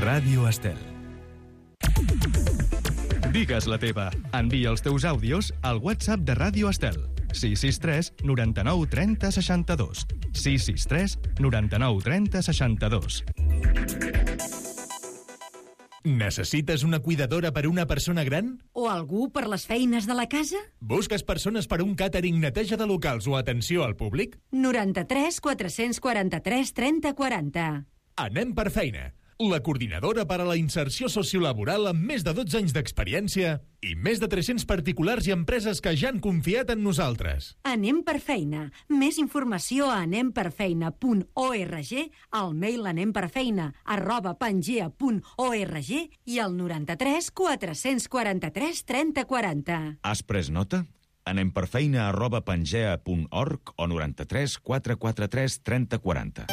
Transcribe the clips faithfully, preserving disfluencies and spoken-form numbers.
Ràdio Estel. Digues la teva. Envia els teus àudios al WhatsApp de Ràdio Estel. sis sis tres noranta-nou trenta seixanta-dos. sis sis tres noranta-nou trenta seixanta-dos. Necessites una cuidadora per una persona gran? O algú per les feines de la casa? Busques persones per un càtering, neteja de locals o atenció al públic? noranta-tres quatre-cents quaranta-tres trenta quaranta. Anem per feina. La coordinadora per a la inserció sociolaboral amb més de dotze anys d'experiència i més de tres-cents particulars i empreses que ja han confiat en nosaltres. Anem per feina. Més informació a anem per feina punt org, al mail anemperfeina arroba pangea punt org i al noranta-tres quatre-cents quaranta-tres trenta quaranta. Has pres nota? Anem per feina arroba pangea punt org o noranta-tres quatre quaranta-tres trenta quaranta.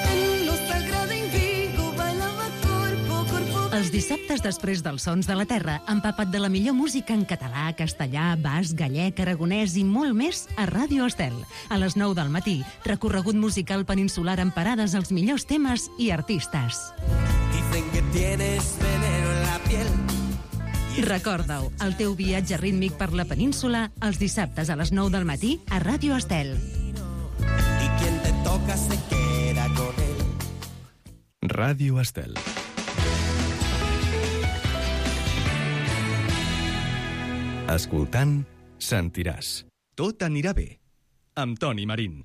Els dissabtes després dels Sons de la Terra, empapa't de la millor música en català, castellà, basc, gallec, aragonès i molt més a Ràdio Estel. A les nou del matí, recorregut musical peninsular amb parades als millors temes i artistes. Dicen que tienes veneno en la piel. Recorda-ho, el teu viatge rítmic per la península els dissabtes a les nou del matí a Ràdio Estel. Y quien te toca se queda con él. Ràdio Estel. Escoltant, sentiràs. Tot anirà bé. Amb Toni Marín.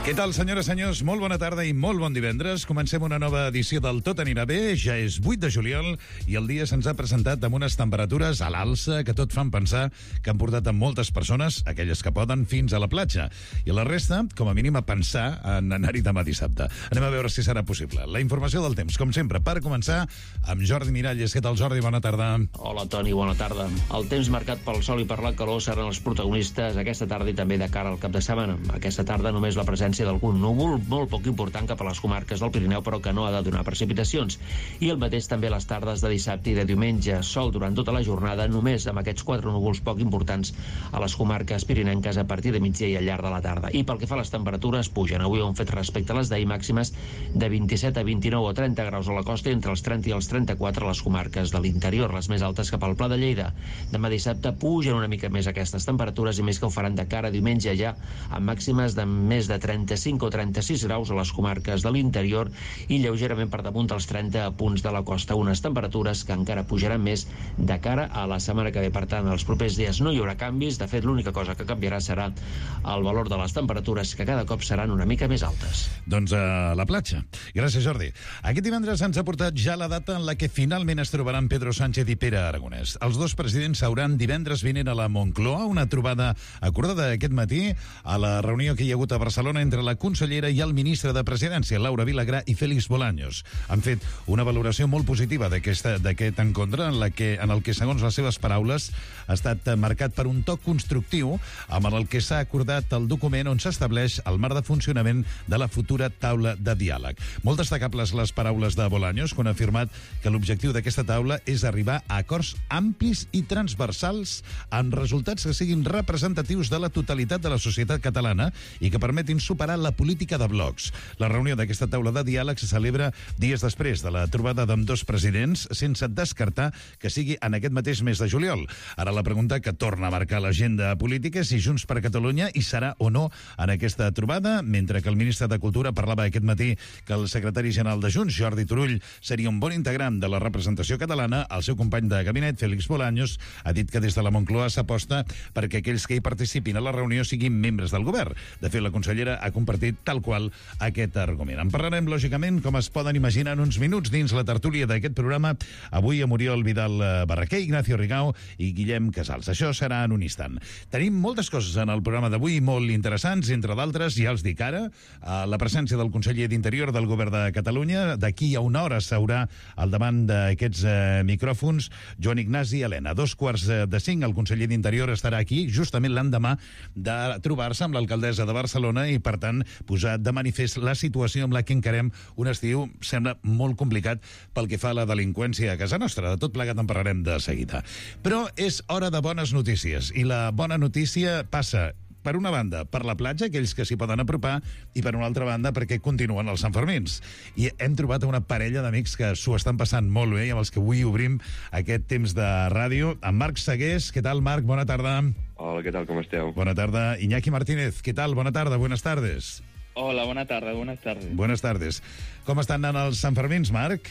Què tal, senyores i senyors? Molt bona tarda i molt bon divendres. Comencem una nova edició del Tot anirà bé. Ja és vuit de juliol i el dia se'ns ha presentat amb unes temperatures a l'alça que tot fan pensar que han portat a moltes persones, aquelles que poden, fins a la platja. I la resta, com a mínim, a pensar en anar-hi demà dissabte. Anem a veure si serà possible. La informació del temps, com sempre, per començar amb Jordi Miralles. Què tal, Jordi? Bona tarda. Hola, Toni, bona tarda. El temps marcat pel sol i per la calor seran els protagonistes aquesta tarda i també de cara al cap de setmana. Aquesta tarda només la presència d'algun núvol molt poc important cap a les comarques del Pirineu, però que no ha de donar precipitacions. I el mateix també les tardes de dissabte i de diumenge. Sol durant tota la jornada, només amb aquests quatre núvols poc importants a les comarques pirinenques a partir de migdia i al llarg de la tarda. I pel que fa a les temperatures, pugen. Avui han fet respecte a les d'ahir màximes de vint-i-set a vint-i-nou o trenta graus a la costa i entre els trenta i els trenta-quatre a les comarques de l'interior, les més altes cap al Pla de Lleida. Demà dissabte pugen una mica més aquestes temperatures i més que ho faran de cara a diumenge ja amb màximes de més de trenta-cinc o trenta-sis graus a les comarques de l'interior i lleugerament per damunt dels trenta punts de la costa, unes temperatures que encara pujaran més de cara a la setmana que ve. Per tant, els propers dies no hi haurà canvis. De fet, l'única cosa que canviarà serà el valor de les temperatures, que cada cop seran una mica més altes. Doncs a la platja. Gràcies, Jordi. Aquest divendres ens ha portat ja la data en la que finalment es trobaran Pedro Sánchez i Pere Aragonès. Els dos presidents s'hauran divendres vinent a la Moncloa, una trobada acordada aquest matí a la reunió que hi ha hagut a Barcelona entre la consellera i el ministre de Presidència, Laura Vilagrà i Félix Bolaños. Han fet una valoració molt positiva d'aquest encontre, en, la que, en el que, segons les seves paraules, ha estat marcat per un toc constructiu amb el que s'ha acordat el document on s'estableix el marc de funcionament de la futura taula de diàleg. Molt destacables les paraules de Bolaños, quan ha afirmat que l'objectiu d'aquesta taula és arribar a acords amplis i transversals amb resultats que siguin representatius de la totalitat de la societat catalana i que permetin superar la política de blocs. La reunió d'aquesta taula de diàleg se celebra dies després de la trobada d'ambdós presidents, sense descartar que sigui en aquest mateix mes de juliol. Ara la pregunta que torna a marcar l'agenda política és si Junts per Catalunya hi serà o no en aquesta trobada, mentre que el ministre de Cultura parlava aquest matí que el secretari general de Junts, Jordi Turull, seria un bon integrant de la representació catalana. El seu company de gabinet, Félix Bolaños, ha dit que des de la Moncloa s'aposta perquè aquells que hi participin a la reunió siguin membres del govern. De fet, la consellera ha compartit tal qual aquest argument. En parlarem, lògicament, com es poden imaginar, en uns minuts dins la tertúlia d'aquest programa, avui amb Oriol Vidal Barraquer, Ignacio Rigau i Guillem Casals. Això serà en un instant. Tenim moltes coses en el programa d'avui, molt interessants, entre d'altres, ja els dic ara, la presència del conseller d'Interior del Govern de Catalunya. D'aquí a una hora s'haurà al davant d'aquests eh, micròfons Joan Ignasi Elena. A dos quarts de cinc el conseller d'Interior estarà aquí, justament l'endemà de trobar-se amb l'alcaldessa de Barcelona i, per tant, posar de manifest la situació amb la que encarem un estiu, sembla molt complicat pel que fa a la delinqüència a casa nostra. De tot plegat en parlarem de seguida. Però és hora de bones notícies, i la bona notícia passa, per una banda, per la platja, aquells que s'hi poden apropar, i per una altra banda, perquè continuen els Santfermins. I hem trobat una parella d'amics que s'ho estan passant molt bé i amb els que avui obrim aquest temps de ràdio. En Marc Segués, què tal, Marc? Bona tarda. Hola, què tal, com esteu? Bona tarda. Iñaki Martínez, què tal? Bona tarda, buenas tardes. Hola, bona tarda, buenas tardes. Buenas tardes. Com estan anant els Santfermins, Marc?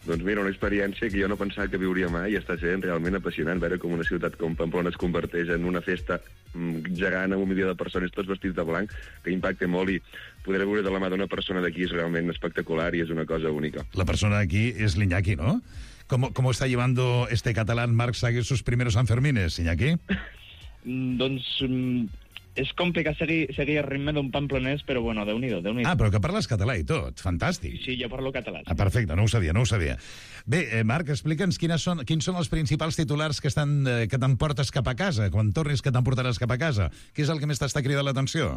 Doncs mira, una experiència que jo no pensava que viuria mai i està sent realment apassionant veure com una ciutat com Pamplona es converteix en una festa gegant amb un milió de persones tots vestits de blanc, que impacta molt, i poder veure de la mà d'una persona d'aquí és realment espectacular i és una cosa única. La persona d'aquí és l'Iñaki, ¿no? ¿Cómo, ¿Cómo está llevando este catalán Marc Segués sus primeros Sanfermines, Iñaki? Doncs és complicat seguir, seguir el ritme d'un pamplonès, però bueno, déu-n'hi-do, déu-n'hi-do. Ah, però que parles català i tot, fantàstic. Sí, jo parlo català. Ah, perfecte, no ho sabia, no ho sabia. Bé, eh, Marc, explica'ns quines són, quins són els principals titulars que estan, eh, que t'emportes cap a casa, quan tornis que t'emportaràs cap a casa. Què és el que més t'està cridant l'atenció?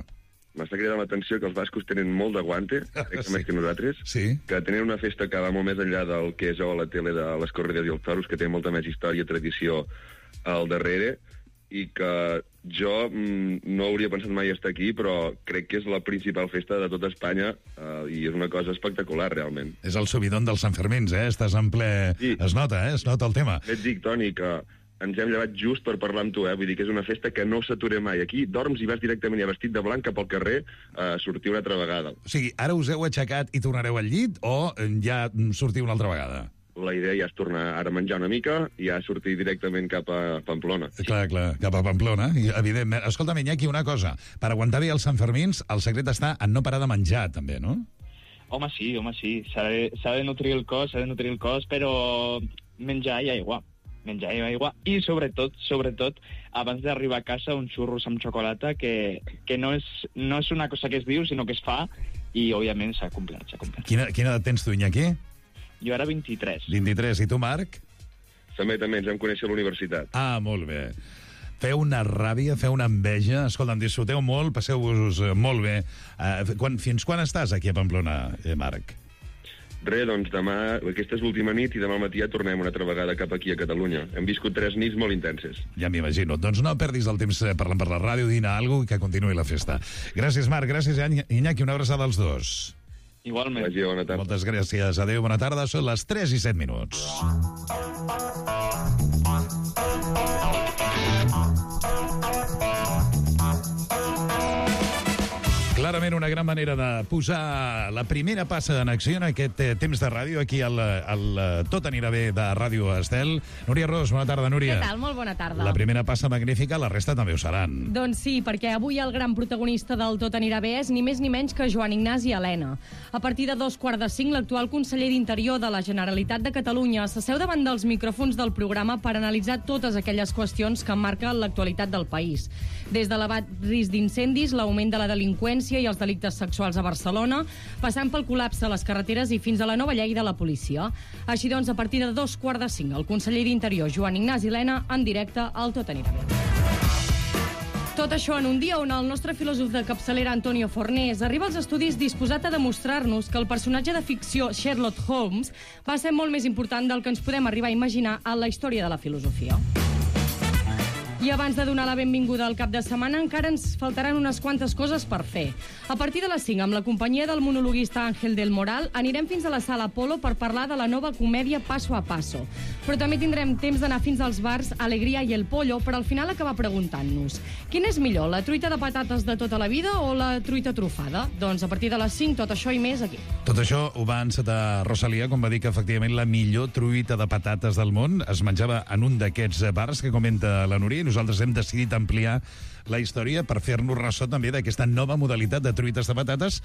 M'està cridant l'atenció que els bascos tenen molt d'aguante, sí. Més que nosaltres, sí. Que tenen una festa que va molt més enllà del que és a la tele de les corrides i els toros, que té molta més història i tradició al darrere, i que jo mm, no hauria pensat mai estar aquí, però crec que és la principal festa de tota Espanya, eh, i és una cosa espectacular, realment. És el subidon dels Santfermins, eh? Estàs en ple... Sí. Es nota, eh? Es nota el tema. Et dic, Toni, que ens hem llevat just per parlar amb tu, eh? Vull dir que és una festa que no s'atura mai. Aquí dorms i vas directament ja vestit de blanc cap al carrer a sortir una altra vegada. O sigui, ara us heu aixecat i tornareu al llit, o ja sortiu una altra vegada? La idea ja és tornar ara a menjar una mica i ja sortir directament cap a Pamplona. Clar, clar, cap a Pamplona, evidentment. Escolta'm, Iñaki, una cosa. Per aguantar bé els Santfermins, el secret està en no parar de menjar, també, no? Home, sí, home, sí. S'ha de, s'ha de nutrir el cos, s'ha de nutrir el cos, però menjar i aigua. Menjar i aigua. I, sobretot, sobretot, abans d'arribar a casa, un xurros amb xocolata, que, que no, és, no és una cosa que es diu, sinó que es fa, i, òbviament, s'ha complert, s'ha complert. Quina, quina edat tens tu, Iñaki? Jo era vint-i-tres. vint-i-tres. I tu, Marc? També, també, ens vam conèixer a la universitat. Ah, molt bé. Feu una ràbia, feu una enveja. Escolta'm, disfruteu molt, passeu-vos molt bé. Uh, quan, fins quan estàs aquí a Pamplona, eh, Marc? Res, doncs demà, aquesta és l'última nit i demà al matí ja tornem una altra vegada cap aquí a Catalunya. Hem viscut tres nits molt intenses. Ja m'imagino. Doncs no perdis el temps parlant per la ràdio, dina alguna cosa i que continuï la festa. Gràcies, Marc. Gràcies, Iñaki. Una abraçada als dos. Igualment. Vagi, bona tarda. Moltes gràcies. Adéu, bona tarda. Són les tres i set minuts. Clarament una gran manera de posar la primera passa en acció en aquest eh, temps de ràdio aquí al, al Tot anirà bé de Ràdio Estel. Núria Ros, bona tarda, Núria. Què tal? Molt bona tarda. La primera passa magnífica, la resta també ho seran. Doncs sí, perquè avui el gran protagonista del Tot anirà bé és ni més ni menys que Joan Ignasi Elena. A partir de dos quarts de cinc, l'actual conseller d'Interior de la Generalitat de Catalunya s'asseu davant dels micròfons del programa per analitzar totes aquelles qüestions que marquen l'actualitat del país. Des de l'elevat risc d'incendis, l'augment de la delinqüència i els delictes sexuals a Barcelona, passant pel col·lapse a les carreteres i fins a la nova llei de la policia. Així doncs, a partir de dos quarts de cinc, el conseller d'Interior, Joan Ignasi Elena, en directe al Tot anirà bé. Tot això en un dia on el nostre filòsof de capçalera, Antonio Fornés, arriba als estudis disposat a demostrar-nos que el personatge de ficció Sherlock Holmes va ser molt més important del que ens podem arribar a imaginar en la història de la filosofia. I abans de donar la benvinguda al cap de setmana, encara ens faltaran unes quantes coses per fer. A partir de les cinc, amb la companyia del monologuista Ángel del Moral, anirem fins a la Sala Apolo per parlar de la nova comèdia Paso a Paso. Però també tindrem temps d'anar fins als bars Alegria i El Pollo per al final acabar preguntant-nos: quina és millor, la truita de patates de tota la vida o la truita trufada? Doncs a partir de les cinc, tot això i més aquí. Tot això ho va encetar Rosalia quan va dir que efectivament la millor truita de patates del món es menjava en un d'aquests bars que comenta la Núria, i nosaltres hem decidit ampliar la història per fer-nos ressò també d'aquesta nova modalitat de truites de patates,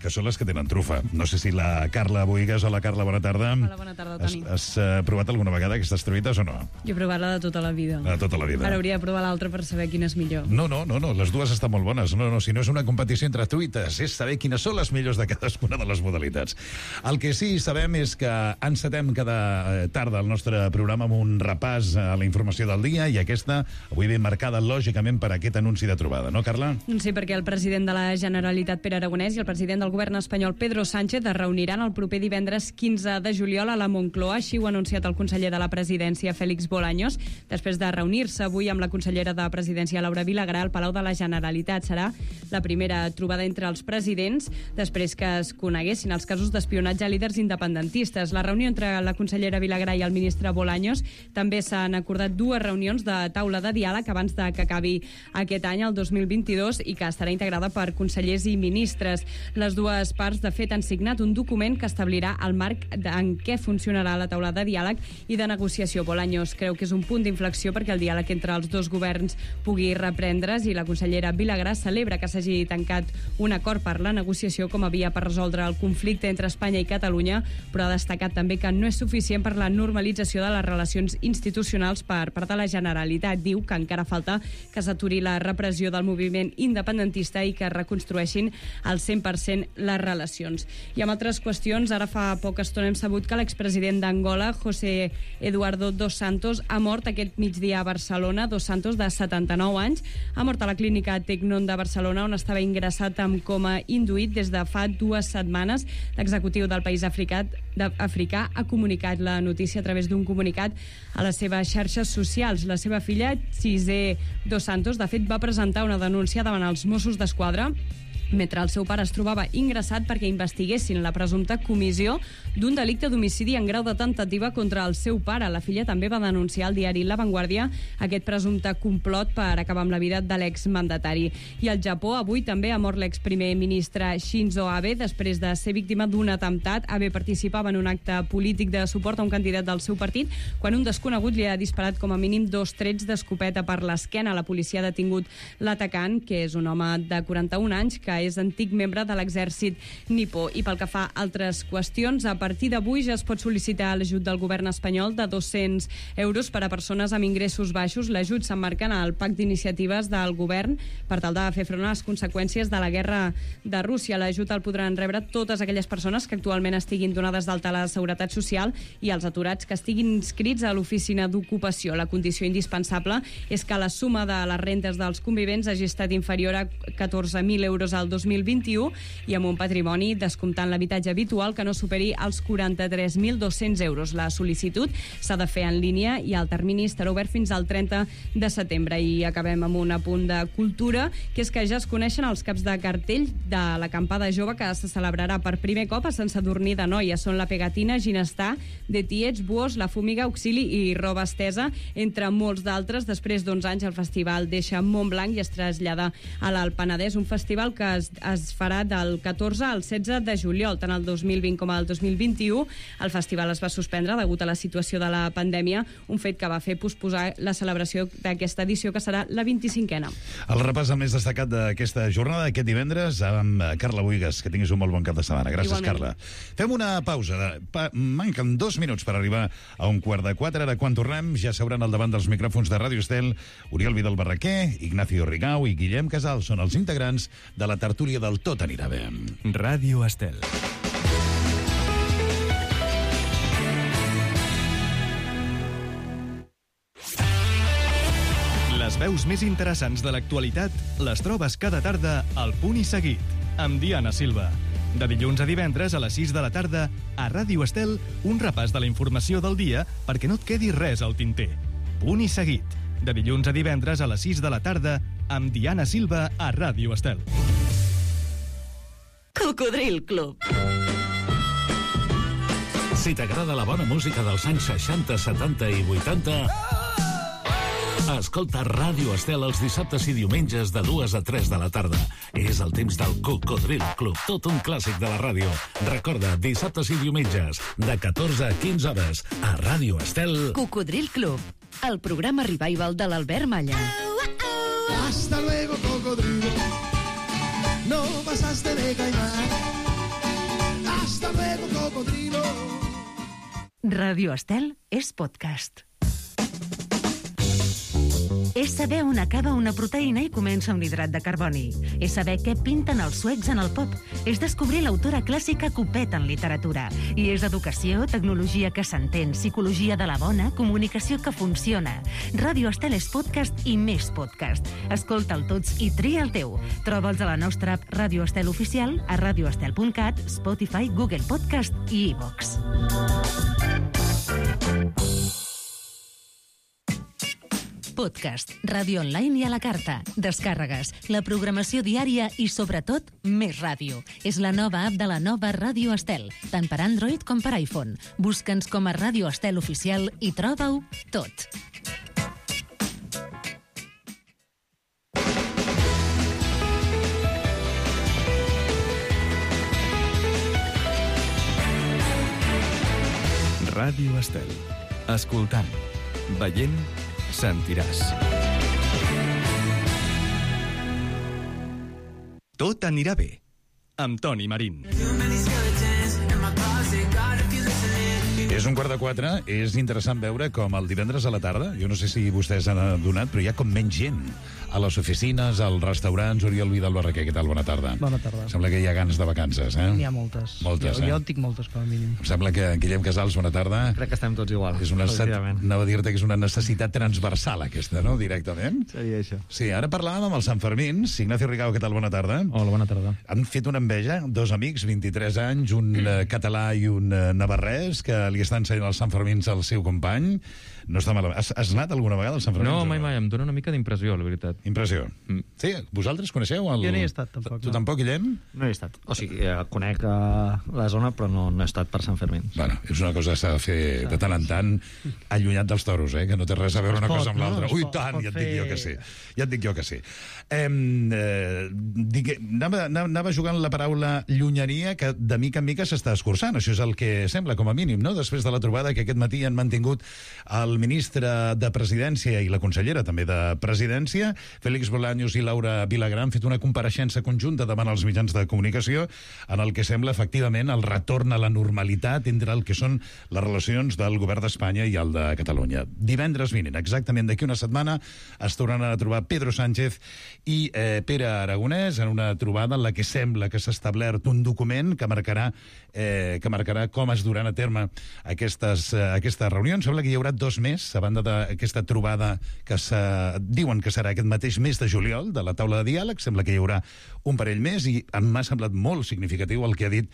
que són les que tenen trufa. No sé si la Carla Boigues o la Carla, bona tarda. Hola, bona tarda, Toni. Has, has uh, provat alguna vegada aquestes truites o no? Jo he provat la de tota la vida. La de tota la vida. Ara hauria de provar l'altra per saber quina és millor. No, no, no, no, les dues estan molt bones. No, no, si no és una competició entre truites, és saber quines són les millors de cadascuna de les modalitats. El que sí sabem és que encetem cada tarda el nostre programa amb un repàs a la informació del dia, i aquesta avui ben marcada, lògicament, per aquest anunci anunci de trobada, no, Carla? Sí, perquè el president de la Generalitat, Pere Aragonès, i el president del govern espanyol, Pedro Sánchez, es reuniran el proper divendres quinze de juliol a la Moncloa. Així ho ha anunciat el conseller de la Presidència, Félix Bolaños, després de reunir-se avui amb la consellera de Presidència, Laura Vilagrà, al Palau de la Generalitat. Serà la primera trobada entre els presidents després que es coneguessin els casos d'espionatge a líders independentistes. La reunió entre la consellera Vilagrà i el ministre Bolaños també s'han acordat dues reunions de taula de diàleg abans de que acabi aquest any, el dos mil vint-i-dos, i que estarà integrada per consellers i ministres. Les dues parts, de fet, han signat un document que establirà el marc en què funcionarà la taula de diàleg i de negociació. Bolaños creu que és un punt d'inflexió perquè el diàleg entre els dos governs pugui reprendre's, i la consellera Vilagrà celebra que s'hagi tancat un acord per la negociació com a via per resoldre el conflicte entre Espanya i Catalunya, però ha destacat també que no és suficient per la normalització de les relacions institucionals per part de la Generalitat. Diu que encara falta que s'aturi la repressió del moviment independentista i que es reconstrueixin al cent per cent les relacions. I amb altres qüestions, ara fa poca estona hem sabut que l'expresident d'Angola, José Eduardo dos Santos, ha mort aquest migdia a Barcelona. Dos Santos, de setanta-nou anys, ha mort a la clínica Tecnon de Barcelona, on estava ingressat amb coma induït des de fa dues setmanes. L'executiu del país africà, africà ha comunicat la notícia a través d'un comunicat a les seves xarxes socials. La seva filla, Cisé dos Santos, de fet, va presentar una denúncia davant els Mossos d'Esquadra mentre el seu pare es trobava ingressat perquè investiguessin la presumpta comissió d'un delicte d'homicidi en grau de tentativa contra el seu pare. La filla també va denunciar al diari La Vanguardia aquest presumpte complot per acabar amb la vida de l'exmandatari. I al Japó avui també ha mort l'exprimer ministre Shinzo Abe després de ser víctima d'un atemptat. Abe participava en un acte polític de suport a un candidat del seu partit quan un desconegut li ha disparat com a mínim dos trets d'escopeta per l'esquena. La policia ha detingut l'atacant, que és un home de quaranta-un anys, que és antic membre de l'exèrcit nipó. I pel que fa a altres qüestions, a partir d'avui ja es pot sol·licitar l'ajut del govern espanyol de dos-cents euros per a persones amb ingressos baixos. L'ajut s'emmarca en el pacte d'iniciatives del govern per tal de fer front a les conseqüències de la guerra de Rússia. L'ajut el podran rebre totes aquelles persones que actualment estiguin donades d'alta a la Seguretat Social i els aturats que estiguin inscrits a l'oficina d'ocupació. La condició indispensable és que la suma de les rentes dels convivents hagi estat inferior a catorze mil euros al dos mil vint-i-u i amb un patrimoni descomptant l'habitatge habitual que no superi els quaranta-tres mil dos-cents euros. La sol·licitud s'ha de fer en línia i el termini estarà obert fins al trenta de setembre. I acabem amb un apunt de cultura, que és que ja es coneixen els caps de cartell de l'acampada jove que se celebrarà per primer cop a Sant Sadurní d'Anoia. Són la Pegatina, Ginestar, De Tiets, Buós, La Fumiga, Auxili i Roba Estesa, entre molts d'altres. Després d'onze anys el festival deixa Montblanc i es trasllada a l'Alt Penedès, un festival que es, es farà del catorze al setze de juliol, tant el dos mil vint com el dos mil vint-i-u. El festival es va suspendre degut a la situació de la pandèmia, un fet que va fer posposar la celebració d'aquesta edició, que serà la vint-i-cinquena. El repàs el més destacat d'aquesta jornada, aquest divendres, amb Carla Buigas. Que tinguis un molt bon cap de setmana. Gràcies, Igualment. Carla. Fem una pausa. Pa manquen dos minuts per arribar a un quart de quatre. Ara, quan tornem, ja s'hauran al davant dels micròfons de Ràdio Estel Oriol Vidal Barraquer, Ignacio Rigau i Guillem Casal. Són els integrants de la tertúlia del Tot anirà bé. Ràdio Estel. Les veus més interessants de l'actualitat les trobes cada tarda al Punt i Seguit, amb Diana Silva. De dilluns a divendres a les sis de la tarda, a Ràdio Estel, un repàs de la informació del dia perquè no et quedi res al tinter. Punt i Seguit. De dilluns a divendres a les sis de la tarda, amb Diana Silva a Ràdio Estel. Cocodril Club. Si t'agrada la bona música dels anys seixanta, setanta i vuitanta... escolta Ràdio Estel els dissabtes i diumenges de dues a tres de la tarda. És el temps del Cocodril Club, tot un clàssic de la ràdio. Recorda, dissabtes i diumenges, de catorze a quinze hores, a Ràdio Estel. Cocodril Club, el programa revival de l'Albert Malla. Hasta luego, cocodrilo. No pasaste de caimán. Hasta luego, cocodrilo. Ràdio Estel és podcast. És És saber on acaba una proteïna i comença un hidrat de carboni. És saber què pinten els suecs en el pop. És descobrir l'autora clàssica Copet en literatura. I és educació, tecnologia que s'entén, psicologia de la bona, comunicació que funciona. Ràdio Estel és podcast i més podcast. Escolta'l tots i tria el teu. Troba'ls a la nostra app Ràdio Estel Oficial, a radioestel punt cat, Spotify, Google Podcast i iVox. Podcast, ràdio online i a la carta, descàrregues, la programació diària i, sobretot, més ràdio. És la nova app de la nova Ràdio Estel, tant per Android com per iPhone. Busca'ns com a Ràdio Estel Oficial i troba-ho tot. Ràdio Estel. Escoltant, veient, sentiràs. Tot anirà bé, amb Toni Marín. És un quart de quatre, és interessant veure com el divendres a la tarda, jo no sé si vostès han adonat, però hi ha com menys gent a les oficines, als restaurants. Oriol Vidal Barraquer, què tal? Bona tarda. Bona tarda. Sembla que hi ha ganes de vacances, eh? N'hi ha moltes. Moltes, jo, eh? Jo en tinc moltes, com a mínim. Em sembla que Guillem Casals, bona tarda. Crec que estem tots igual. És una necessitat, anava a dir-te que és una necessitat transversal, aquesta, no? Directament. Seria això. Sí, ara parlàvem amb els Sanfermins. Ignacio Rigau, què tal? Bona tarda. Hola, bona tarda. Han fet una enveja, dos amics, vint-i-tres anys, un uh, català i un uh, navarrès, que li estan ensenyant els Sanfermins al seu company. No està malament. Has, has anat alguna vegada als Sanfermins? No, mai, mai. Em dóna una mica d'impressió, la veritat. Impressió. Mm. Sí, vosaltres coneixeu el... Jo no hi he estat, tampoc. Tu no. tampoc, Guillem? No hi he estat. O sigui, eh, conec eh, la zona, però no, no he estat per Sant Fermín. Bueno, és una cosa que s'ha de fer de tant en tant, allunyat dels toros, eh? Que no té res a veure una pot, cosa amb no? l'altra. Es Ui, pot- tant, pot ja et dic jo fer- que sí. Ja et dic jo que sí. Eh, eh, digue, anava, anava anava jugant la paraula llunyeria, que de mica en mica s'està escurçant. Això és el que sembla, com a mínim, no? Després de la trobada que aquest matí han mantingut el ministre de Presidència i la consellera també de Presidència, Félix Bolaños i Laura Vilagrà, han fet una compareixença conjunta davant els mitjans de comunicació en el que sembla, efectivament, el retorn a la normalitat entre el que són les relacions del govern d'Espanya i el de Catalunya. Divendres vinent, exactament d'aquí una setmana, es tornaran a trobar Pedro Sánchez i eh, Pere Aragonès en una trobada en la que sembla que s'ha establert un document que marcarà, eh, que marcarà com es duran a terme aquestes, eh, aquestes reunions. Sembla que hi haurà dos més, a banda d'aquesta trobada que se, diuen que serà aquest mateix mes de juliol, de la taula de diàleg. Sembla que hi haurà un parell més i m'ha semblat molt significatiu el que ha dit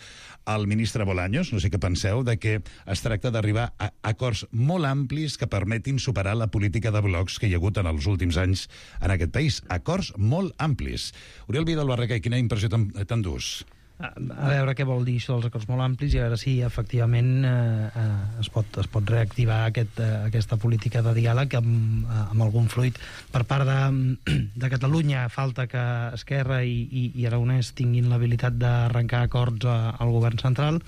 el ministre Bolaños, no sé què penseu, de que es tracta d'arribar a acords molt amplis que permetin superar la política de blocs que hi ha hagut en els últims anys en aquest país. Acords molt amplis. Oriol Vidal Barraquer, quina impressió t'endús? A, a veure què vol dir això dels acords molt amplis i a veure si efectivament eh, eh, es, pot, es pot reactivar aquest, eh, aquesta política de diàleg amb, amb algun fruit. Per part de, de Catalunya falta que Esquerra i, i, i Aragonès tinguin l'habilitat d'arrencar acords a, al govern central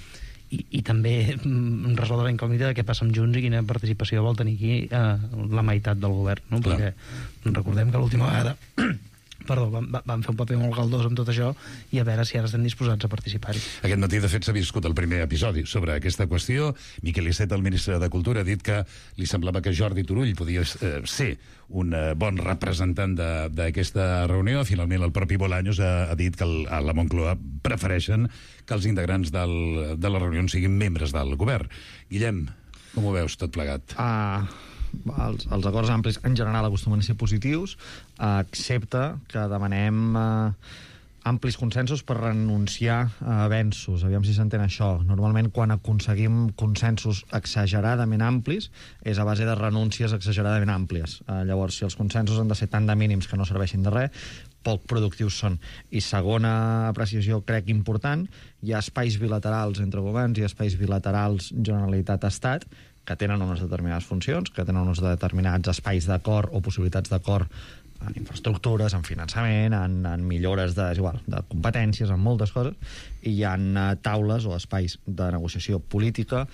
i, i també mm, resoldre la incògnita de què passa amb Junts i quina participació vol tenir aquí eh, la meitat del govern, no? Perquè recordem que l'última vegada perdó, van, van fer un paper molt galdós amb tot això i a veure si ara estan disposats a participar-hi. Aquest matí, de fet, s'ha viscut el primer episodi sobre aquesta qüestió. Miquel Iceta, el ministre de Cultura, ha dit que li semblava que Jordi Turull podia eh, ser un eh, bon representant d'aquesta reunió. Finalment, el propi Bolaños ha, ha dit que el, a la Moncloa prefereixen que els integrants del, de la reunió siguin membres del govern. Guillem, com ho veus tot plegat? Ah... Els, els acords amplis en general acostumen a ser positius, eh, excepte que demanem eh, amplis consensos per renunciar a avenços. Aviam si s'entén això. Normalment, quan aconseguim consensos exageradament amplis, és a base de renúncies exageradament àmplies. Eh, llavors, si els consensos han de ser tan de mínims que no serveixin de res, poc productius són. I segona apreciació, crec important, hi ha espais bilaterals entre governs i espais bilaterals Generalitat-Estat que tenen unes determinades funcions, que tenen uns determinats espais d'acord o possibilitats d'acord en infraestructures, en finançament, en, en millores de, és igual, de competències, en moltes coses, i hi ha taules o espais de negociació política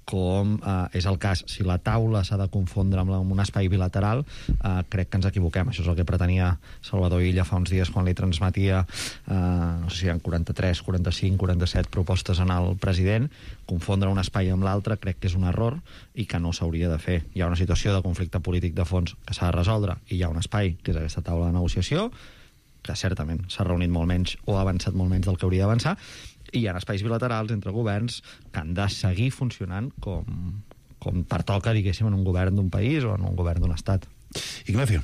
com eh, és el cas. Si la taula s'ha de confondre amb, la, amb un espai bilateral, eh, crec que ens equivoquem. Això és el que pretenia Salvador Illa fa uns dies quan li transmetia eh, no sé si eren quaranta-tres, quaranta-cinc, quaranta-set propostes en el president. Confondre un espai amb l'altre crec que és un error i que no s'hauria de fer. Hi ha una situació de conflicte polític de fons que s'ha de resoldre i hi ha un espai, que és aquesta taula de negociació, que certament s'ha reunit molt menys o ha avançat molt menys del que hauria d'avançar, i hi ha espais bilaterals entre governs que han de seguir funcionant com, com pertoca, diguéssim, en un govern d'un país o en un govern d'un estat. Ignacio.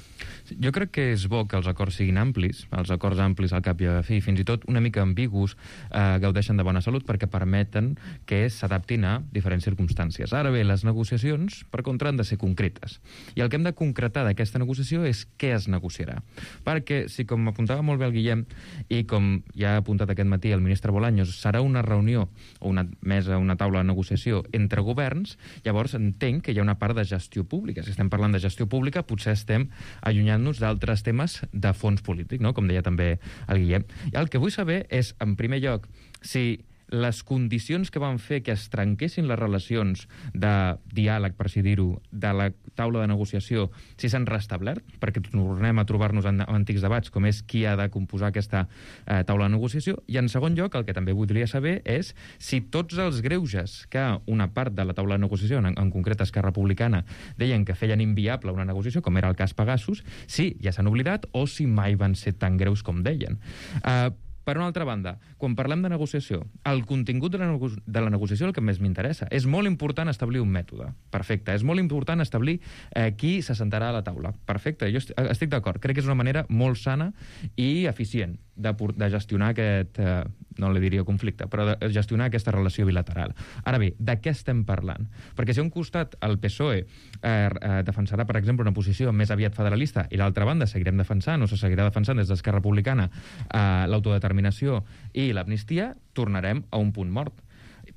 Jo crec que és bo que els acords siguin amplis, els acords amplis al cap i a la fi, fins i tot una mica ambigus, eh, gaudeixen de bona salut perquè permeten que s'adaptin a diferents circumstàncies. Ara bé, les negociacions, per contra, han de ser concretes. I el que hem de concretar d'aquesta negociació és què es negociarà. Perquè, si com apuntava molt bé el Guillem, i com ja ha apuntat aquest matí el ministre Bolaños, serà una reunió o una mesa, una taula de negociació entre governs, llavors entenc que hi ha una part de gestió pública. Si estem parlant de gestió pública, potser estem allunyant nos d'altres temes de fons polític, no? Com deia també el Guillem. I el que vull saber és, en primer lloc, si les condicions que van fer que es trenquessin les relacions de diàleg, per així dir-ho, de la taula de negociació, si s'han restablert, perquè tornem a trobar-nos en antics debats, com és qui ha de composar aquesta eh, taula de negociació. I, en segon lloc, el que també voldria saber és si tots els greuges que una part de la taula de negociació, en, en concret Esquerra Republicana, deien que feien inviable una negociació, com era el cas Pegasus, si ja s'han oblidat o si mai van ser tan greus com deien. Eh, Per una altra banda, quan parlem de negociació, el contingut de la, nego de la negociació és el que més m'interessa. És molt important establir un mètode. Perfecte. És molt important establir eh, qui se sentarà a la taula. Perfecte. Jo estic d'acord. Crec que és una manera molt sana i eficient de, de gestionar aquest, eh, no li diria conflicte, però de gestionar aquesta relació bilateral. Ara bé, de què estem parlant? Perquè si a un costat el P S O E eh, eh, defensarà, per exemple, una posició més aviat federalista i l'altra banda seguirem defensant o se seguirà defensant des d'Esquerra Republicana eh, l'autodeterminació i l'amnistia, tornarem a un punt mort.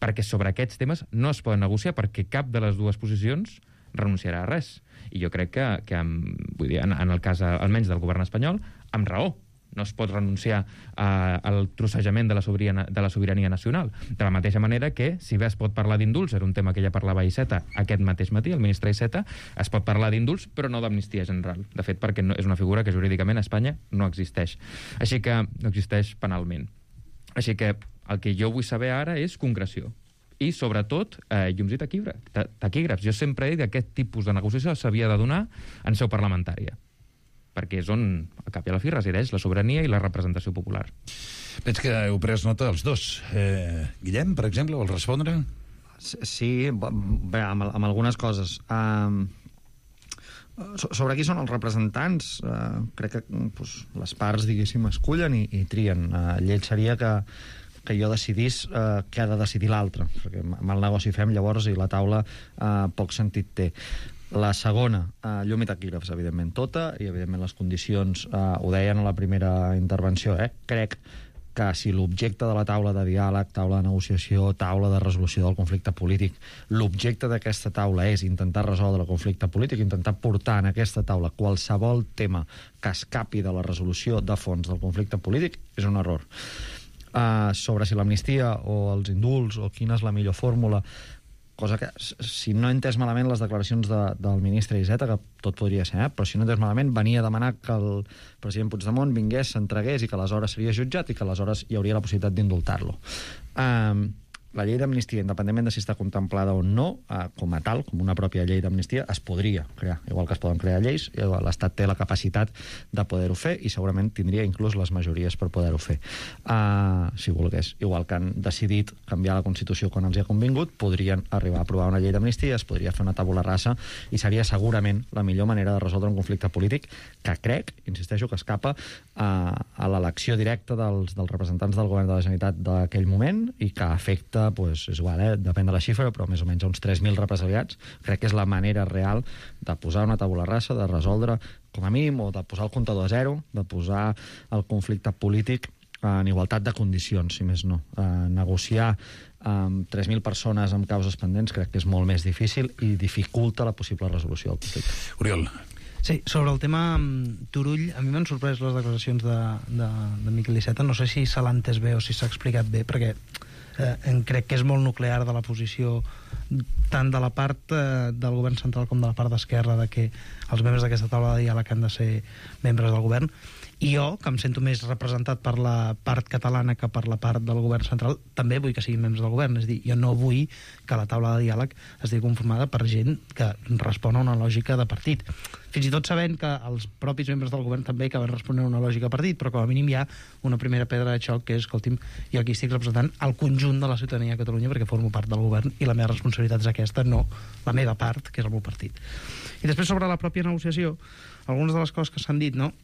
Perquè sobre aquests temes no es poden negociar perquè cap de les dues posicions renunciarà a res. I jo crec que, que vull dir, en, en el cas almenys del govern espanyol, amb raó. No es pot renunciar a, al trossejament de la, sobirania, de la sobirania nacional. De la mateixa manera que, si bé es pot parlar d'indults, era un tema que ja parlava Iceta aquest mateix matí, el ministre Iceta, es pot parlar d'indults, però no d'amnistia general. De fet, perquè no, és una figura que jurídicament a Espanya no existeix. Així que no existeix penalment. Així que el que jo vull saber ara és concreció. I, sobretot, eh, llums i taquígrafs. Jo sempre he dit que aquest tipus de negociació s'havia de donar en seu parlamentària, perquè és on, a cap i a la fi, resideix la sobirania i la representació popular. Veig que heu pres nota els dos. Eh, Guillem, per exemple, vols respondre? Sí, bé, amb, amb algunes coses. Um, sobre qui són els representants, uh, crec que pues, les parts, diguéssim, escullen i, i trien. Uh, lleig seria que, que jo decidís uh, què ha de decidir l'altre, perquè mal negoci fem llavors i la taula uh, poc sentit té. La segona, eh, llum i taquígrafs, evidentment, tota, i evidentment les condicions, eh, ho deien a la primera intervenció, eh? Crec que si l'objecte de la taula de diàleg, taula de negociació, taula de resolució del conflicte polític, l'objecte d'aquesta taula és intentar resoldre el conflicte polític, intentar portar en aquesta taula qualsevol tema que escapi de la resolució de fons del conflicte polític, és un error. Uh, sobre si l'amnistia o els indults o quina és la millor fórmula, cosa que, si no he entès malament les declaracions de, del ministre Iceta, que tot podria ser, eh? Però si no he entès malament, venia a demanar que el president Puigdemont vingués, s'entregués i que aleshores seria jutjat i que aleshores hi hauria la possibilitat d'indultar-lo. Um, la llei d'amnistia, independentment de si està contemplada o no, eh, com a tal, com una pròpia llei d'amnistia, es podria crear. Igual que es poden crear lleis, l'Estat té la capacitat de poder-ho fer i segurament tindria inclús les majories per poder-ho fer, uh, si volgués. Igual que han decidit canviar la Constitució quan els hi ha convingut, podrien arribar a aprovar una llei d'amnistia, es podria fer una tabula rasa i seria segurament la millor manera de resoldre un conflicte polític que crec, insisteixo, que escapa uh, a l'elecció directa dels, dels representants del govern de la Generalitat d'aquell moment i que afecta, pues, és igual, eh? Depèn de la xifra, però més o menys uns tres mil represaliats. Crec que és la manera real de posar una tabula rasa, de resoldre, com a mínim, o de posar el comptador a zero, de posar el conflicte polític en igualtat de condicions, si més no. Eh, negociar amb tres mil persones amb causes pendents crec que és molt més difícil i dificulta la possible resolució del conflicte. Oriol. Sí, sobre el tema Turull, a mi m'han sorprès les declaracions de, de, de Miquel Iceta. No sé si se l'ha entès bé o si s'ha explicat bé, perquè eh, crec que és molt nuclear de la posició tant de la part eh, del govern central com de la part d'esquerra, de que els membres d'aquesta taula de diàleg han de ser membres del govern. I jo, que em sento més representat per la part catalana que per la part del govern central, també vull que siguin membres del govern. És a dir, jo no vull que la taula de diàleg estigui conformada per gent que respon a una lògica de partit. Fins i tot sabent que els propis membres del govern també acaben responent a una lògica de partit, però com a mínim hi ha una primera pedra de xoc que és, escolti'm, jo aquí estic representant el conjunt de la ciutadania de Catalunya perquè formo part del govern i la meva responsabilitat és aquesta, no la meva part, que és el meu partit. I després sobre la pròpia negociació, algunes de les coses que s'han dit, no?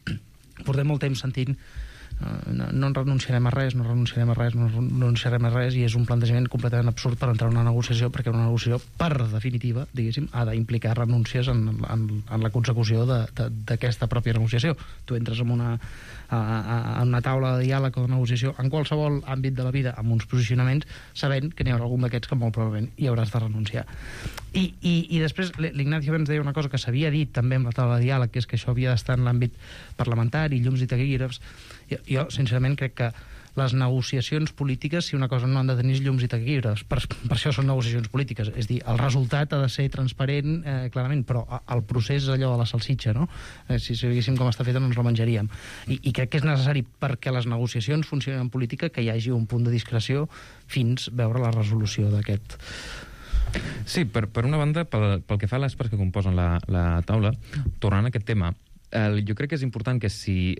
Portem molt temps sentint uh, no, no renunciarem a res, no renunciarem a res, no renunciarem a res, i és un plantejament completament absurd per entrar en una negociació, perquè una negociació, per definitiva, diguéssim, ha d'implicar renúncies en, en, en la consecució d'aquesta pròpia negociació. Tu entres en una, a, a, a una taula de diàleg o de negociació en qualsevol àmbit de la vida amb uns posicionaments, sabent que n'hi haurà algun d'aquests que molt probablement hi hauràs de renunciar. I, i, i després l'Ignacio ens deia una cosa que s'havia dit també amb la taula de diàleg, que és que això havia d'estar en l'àmbit parlamentari, llums i taquígrafs. Jo, jo, sincerament, crec que les negociacions polítiques, si una cosa no han de tenir llums i taquígrafs, per, per això són negociacions polítiques. És dir, el resultat ha de ser transparent, eh, clarament, però el procés és allò de la salsitxa, no? Eh, si sabíssim com està feta no ens la menjaríem. I, I crec que és necessari perquè les negociacions funcionin en política que hi hagi un punt de discreció fins veure la resolució d'aquest... Sí, per, per una banda, pel, pel que fa a les parts que composen la, la taula, tornant a aquest tema, eh, jo crec que és important que si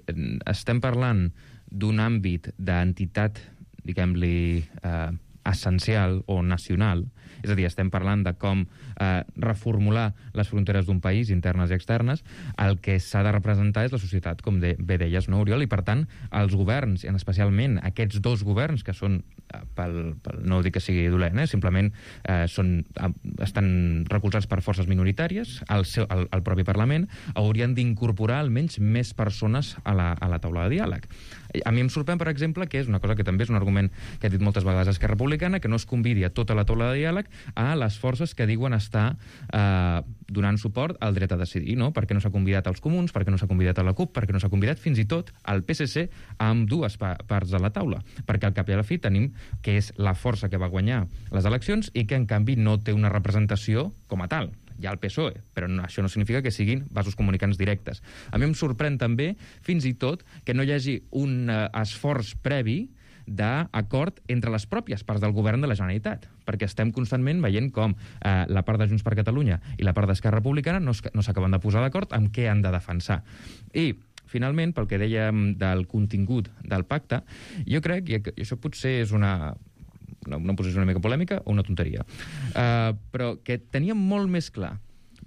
estem parlant d'un àmbit d'entitat, diguem-li, eh, essencial o nacional, és a dir, estem parlant de com eh, reformular les fronteres d'un país, internes i externes, el que s'ha de representar és la societat, com de, bé deies, no, Oriol? I, per tant, els governs, i especialment aquests dos governs, que són, eh, pel, pel, no dic que sigui dolent, eh, simplement eh, són, eh, estan recolzats per forces minoritàries, el, seu, el, el propi Parlament, haurien d'incorporar almenys més persones a la, a la taula de diàleg. A mi em sorprèn, per exemple, que és una cosa que també és un argument que ha dit moltes vegades Esquerra Republicana, que no es convidi a tota la taula de diàleg a les forces que diuen estar eh, donant suport al dret a decidir, no? Per què no s'ha convidat als comuns, per què no s'ha convidat a la CUP, per què no s'ha convidat fins i tot al P S C amb dues pa parts de la taula, perquè al cap i a la fi tenim que és la força que va guanyar les eleccions i que en canvi no té una representació com a tal. Hi ha el P S O E, però no, això no significa que siguin vasos comunicants directes. A mi em sorprèn també, fins i tot, que no hi hagi un uh, esforç previ d'acord entre les pròpies parts del govern de la Generalitat, perquè estem constantment veient com eh, la part de Junts per Catalunya i la part d'Esquerra Republicana no, no s'acaben de posar d'acord amb què han de defensar. I, finalment, pel que dèiem del contingut del pacte, jo crec, i això potser és una... una, una posició una mica polèmica o una tonteria, uh, però que teníem molt més clar,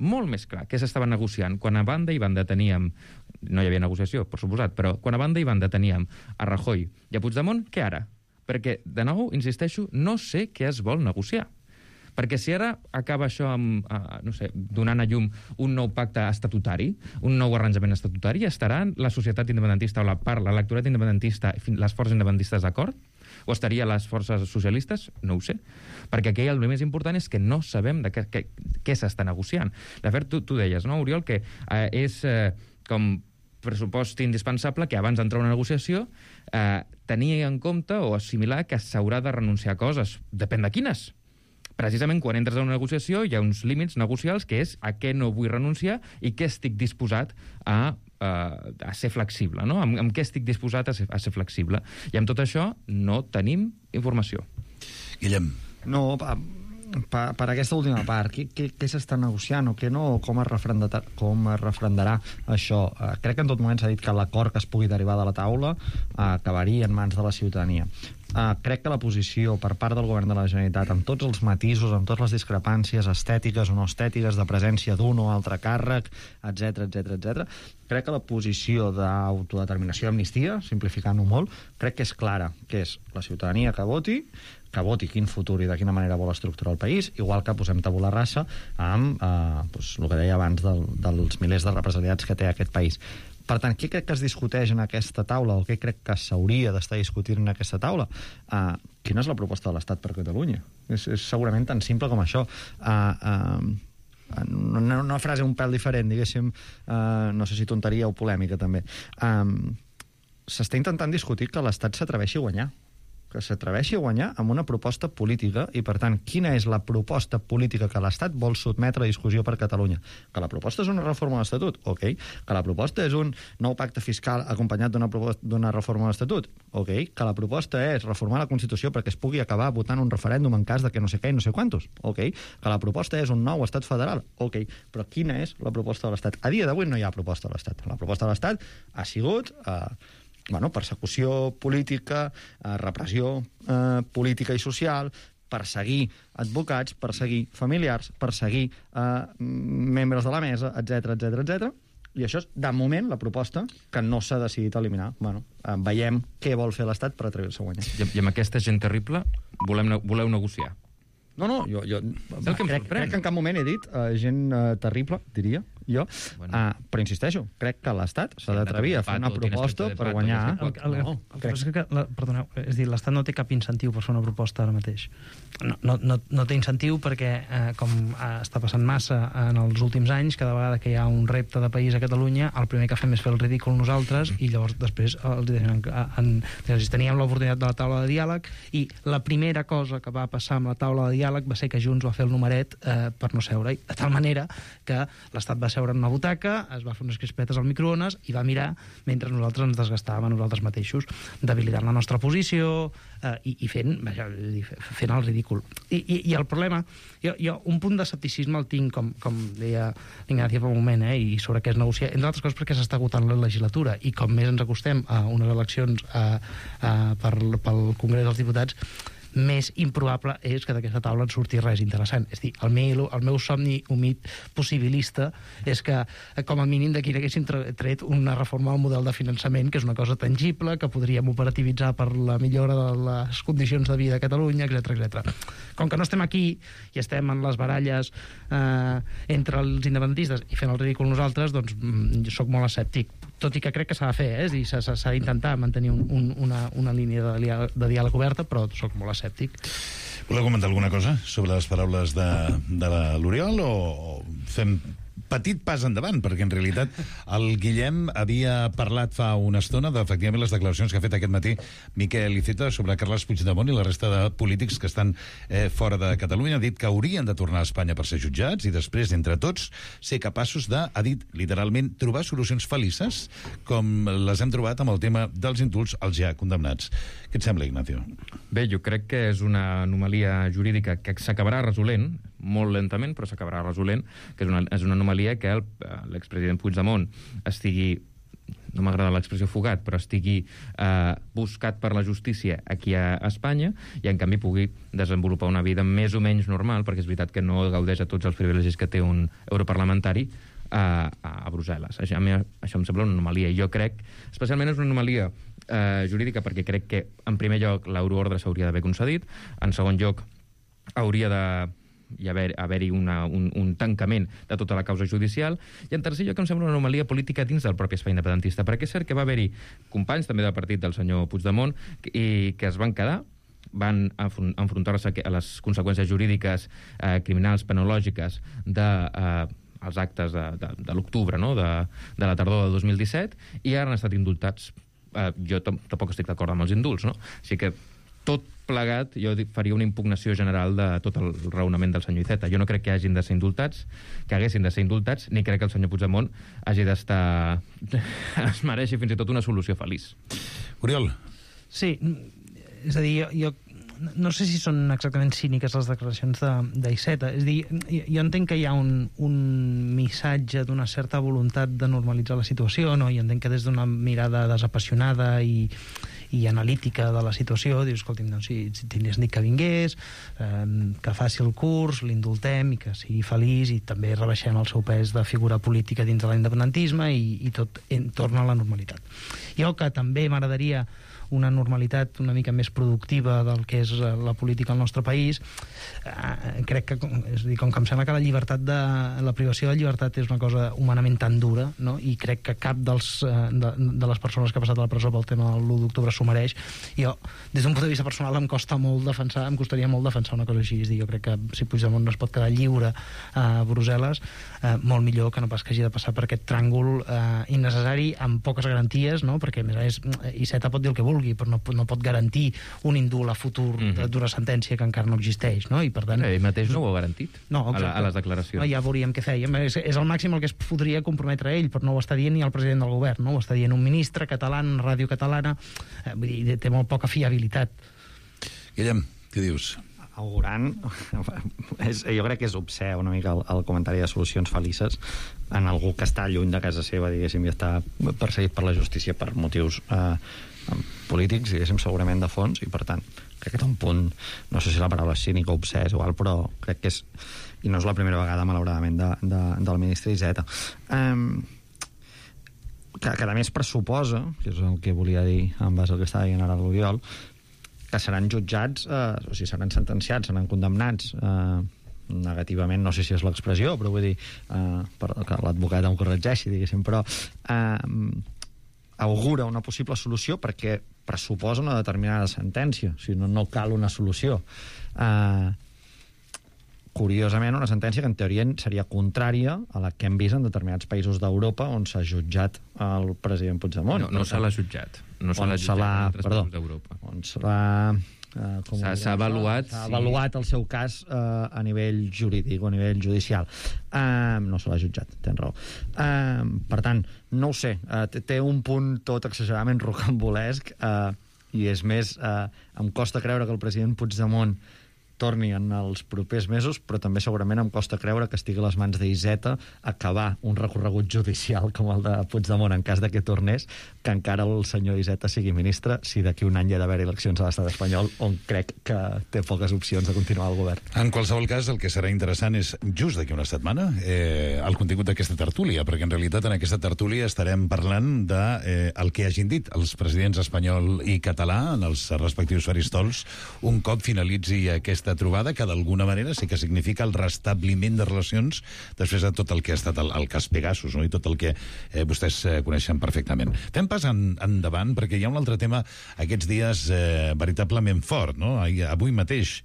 molt més clar què s'estava negociant quan a banda i banda teníem, no hi havia negociació, per suposat, però quan a banda i banda teníem a Rajoy i a Puigdemont, què ara? Perquè, de nou, insisteixo, no sé què es vol negociar. Perquè si ara acaba això amb, uh, no sé, donant a llum un nou pacte estatutari, un nou arranjament estatutari, estarà la societat independentista o la part, l'electorat independentista, les forces independentistes d'acord? O estaria les forces socialistes? No ho sé. Perquè aquí el més important és que no sabem de què, què, què s'està negociant. De fet, tu, tu deies, no, Oriol, que eh, és eh, com pressupost indispensable que abans d'entrar a una negociació eh, tenir en compte o assimilar que s'haurà de renunciar a coses. Depèn de quines. Precisament quan entres a una negociació hi ha uns límits negocials que és a què no vull renunciar i què estic disposat a, a, a ser flexible, no? Amb, amb què estic disposat a ser, a ser flexible. I amb tot això no tenim informació. Guillem. No, per, per aquesta última part, què, què, què s'està negociant o què no, com es refrendarà, com es refrendarà això? Uh, crec que en tot moment s'ha dit que l'acord que es pugui derivar de la taula uh, acabaria en mans de la ciutadania. Uh, crec que la posició per part del govern de la Generalitat, amb tots els matisos, amb totes les discrepàncies estètiques o no estètiques, de presència d'un o altre càrrec, etc etc etc, crec que la posició d'autodeterminació i amnistia, simplificant-ho molt, crec que és clara, que és la ciutadania que voti, que voti quin futur i de quina manera vol estructurar el país, igual que posem tabula rasa amb eh, doncs, el que deia abans del, dels milers de represaliats que té aquest país. Per tant, què crec que es discuteix en aquesta taula o què crec que s'hauria d'estar discutint en aquesta taula? Uh, quina és la proposta de l'Estat per Catalunya? És, és segurament tan simple com això. Uh, uh, una, una frase un pèl diferent, diguéssim, uh, no sé si tonteria o polèmica també. Um, S'està intentant discutir que l'Estat s'atreveixi a guanyar. que s'atreveixi a guanyar amb una proposta política i, per tant, quina és la proposta política que l'Estat vol sotmetre a discussió per Catalunya. Que la proposta és una reforma de l'Estatut? Ok. Que la proposta és un nou pacte fiscal acompanyat d'una d'una reforma de l'Estatut? Ok. Que la proposta és reformar la Constitució perquè es pugui acabar votant un referèndum en cas de que no sé què i no sé quantos? Ok. Que la proposta és un nou estat federal? Ok. Però quina és la proposta de l'Estat? A dia d'avui no hi ha proposta de l'Estat. La proposta de l'Estat ha sigut... Eh, bueno, persecució política, eh, repressió eh, política i social, perseguir advocats, perseguir familiars, perseguir eh, membres de la mesa, etc etc etc. I això és, de moment, la proposta que no s'ha decidit eliminar. Bueno, eh, veiem què vol fer l'Estat per atrevir-se a guanyar. I, I amb aquesta gent terrible volem, voleu negociar? No, no, jo, jo crec, crec que en cap moment he dit uh, gent uh, terrible, diria jo, bueno. uh, però insisteixo, crec que l'Estat s'ha d'atrevir a fer una proposta per guanyar... El, el, el, el que és que, la, perdoneu, és dir, l'Estat no té cap incentiu per fer una proposta ara mateix. No, no, no, no té incentiu perquè, eh, com eh, està passant massa en els últims anys, cada vegada que hi ha un repte de país a Catalunya, el primer que fem és fer el ridícul nosaltres i llavors després els deixen en, en, teníem l'oportunitat de la taula de diàleg i la primera cosa que va passar amb la taula de diàleg va ser que Junts va fer el numeret eh, per no seure-hi, de tal manera que l'Estat va seure en una butaca, es va fer unes crispetes al microones i va mirar mentre nosaltres ens desgastàvem a nosaltres mateixos, debilitant la nostra posició eh, i, i fent, vaja, fent el ridícul. I, i, i el problema, jo, jo un punt d'escepticisme el tinc, com, com deia l'Ignacio fa un moment, eh, i sobre què es negocia, entre altres coses perquè s'està agotant la legislatura i com més ens acostem a unes eleccions a, a, per, pel Congrés dels Diputats, més improbable és que d'aquesta taula en surti res interessant. És dir, el meu, el meu somni humit possibilista és que, com a mínim, d'aquí n'haguéssim tret una reforma del model de finançament, que és una cosa tangible, que podríem operativitzar per la millora de les condicions de vida a Catalunya, etcètera etcètera. Com que no estem aquí i estem en les baralles eh, entre els independentistes i fent el ridícul nosaltres, doncs jo soc molt escèptic. Tot i que crec que s'ha de fer, eh? És dir, s'ha d'intentar mantenir un, un, una, una línia de, diàleg, de diàleg oberta, però soc molt escèptic. Voleu comentar alguna cosa sobre les paraules de, de l'Oriol o fem petit pas endavant, perquè en realitat el Guillem havia parlat fa una estona d'efectivament les declaracions que ha fet aquest matí Miquel Iceta sobre Carles Puigdemont i la resta de polítics que estan eh, fora de Catalunya. Ha dit que haurien de tornar a Espanya per ser jutjats i després, entre tots, ser capaços de, ha dit literalment, trobar solucions felices com les hem trobat amb el tema dels indults als ja condemnats. Què et sembla, Ignacio? Bé, jo crec que és una anomalia jurídica que s'acabarà resolent, molt lentament, però s'acabarà resolent, que és una, és una anomalia que l'expresident Puigdemont estigui, no m'agrada l'expressió fugat, però estigui eh, buscat per la justícia aquí a Espanya i, en canvi, pugui desenvolupar una vida més o menys normal, perquè és veritat que no gaudeix a tots els privilegis que té un europarlamentari a, a Brussel·les. Això, a mi, això em sembla una anomalia, i jo crec, especialment és una anomalia eh, jurídica, perquè crec que, en primer lloc, l'euroordre s'hauria d'haver concedit, en segon lloc, hauria de i haver-hi haver un, un tancament de tota la causa judicial, i en tercer lloc em sembla una anomalia política dins del propi espai independentista, perquè és cert que va haver-hi companys també del partit del senyor Puigdemont i que es van quedar, van enfrontar-se a les conseqüències jurídiques, eh, criminals, penològiques de eh, els actes de, de, de l'octubre, no? de, de la tardor de dos mil disset, i ara han estat indultats. Eh, jo tampoc estic d'acord amb els indults, no? Així que tot plegat, jo faria una impugnació general de tot el raonament del senyor Iceta. Jo no crec que hagin de ser indultats, que haguessin de ser indultats, ni crec que el senyor Puigdemont hagi d'estar... es mereixi fins i tot una solució feliç. Oriol. Sí, és a dir, jo, jo no sé si són exactament cíniques les declaracions d'Iceta. És a dir, jo entenc que hi ha un, un missatge d'una certa voluntat de normalitzar la situació, no? I entenc que des d'una mirada desapassionada i i analítica de la situació, dius, escolti'm, doncs, si, si tingués dit que vingués, eh, que faci el curs, l'indultem i que sigui feliç, i també rebaixem el seu pes de figura política dins de l'independentisme i, i tot en, torna a la normalitat. Jo que també m'agradaria una normalitat una mica més productiva del que és la política al nostre país, eh, crec que, és a dir, com que em sembla que la llibertat de, la privació de llibertat és una cosa humanament tan dura, no? I crec que cap dels, de, de les persones que ha passat a la presó pel tema de l'u d'octubre s'ho mereix. Jo, des d'un punt de vista personal, em costa molt defensar, em costaria molt defensar una cosa així. És dir, jo crec que si Puigdemont no es pot quedar lliure a Brussel·les, eh, molt millor que no pas que hagi de passar per aquest tràngol eh, innecessari, amb poques garanties, no? Perquè, a més a més, Iceta pot dir el que vulgui, vulgui, però no, no pot garantir un indult a futur mm-hmm. d'una sentència que encara no existeix, no? I per tant... Ell mateix no ho ha garantit no, a, la, a les declaracions. No, ja veuríem què fèiem. És, és el màxim el que es podria comprometre ell, però no ho està dient ni el president del govern, no? Ho està dient un ministre català, una ràdio catalana, eh, vull dir, té molt poca fiabilitat. Guillem, què dius? Augurant, és, jo crec que és obscè una mica el, el comentari de solucions felices en algú que està lluny de casa seva, diguéssim, i està perseguit per la justícia per motius eh, polítics, diguéssim, segurament de fons, i per tant, crec que té un punt, no sé si la paraula és cínica o obscè, és igual, però crec que és, i no és la primera vegada, malauradament, de, de, del ministre Iceta. Um, que, que a més pressuposa, que és el que volia dir en base al que estava dient ara l'Oriol, que seran jutjats, eh, o sigui, seran sentenciats, seran condemnats eh, negativament, no sé si és l'expressió, però vull dir, eh, per, que l'advocat em corregeixi, diguéssim, però eh, augura una possible solució perquè pressuposa una determinada sentència, o sigui, no, no cal una solució. Eh, curiosament, una sentència que en teoria seria contrària a la que hem vist en determinats països d'Europa on s'ha jutjat el president Puigdemont. No, no se l'ha jutjat. No se l'ha jutjat en altres països d'Europa. On se l'ha... Eh, s'ha avaluat, s'ha avaluat el seu cas eh, a nivell jurídic o a nivell judicial. Eh, no se l'ha jutjat, tens raó. Eh, per tant, no ho sé, eh, té un punt tot exageradament rocambolesc eh, i és més, eh, em costa creure que el president Puigdemont torni en els propers mesos, però també segurament em costa creure que estigui a les mans d'Iceta acabar un recorregut judicial com el de Puigdemont en cas de que tornés, que encara el senyor Iceta sigui ministre, si d'aquí un any hi ha d'haver eleccions a l'estat espanyol, on crec que té poques opcions de continuar al govern. En qualsevol cas, el que serà interessant és just d'aquí una setmana eh, el contingut d'aquesta tertúlia, perquè en realitat en aquesta tertúlia estarem parlant de eh, el que hagin dit els presidents espanyol i català en els respectius faristols un cop finalitzi aquesta trobada, que d'alguna manera sí que significa el restabliment de relacions després de tot el que ha estat el, el cas Pegasus, no? I tot el que eh, vostès eh, coneixen perfectament. Fem pas en, endavant, perquè hi ha un altre tema aquests dies eh, veritablement fort, no? Avui mateix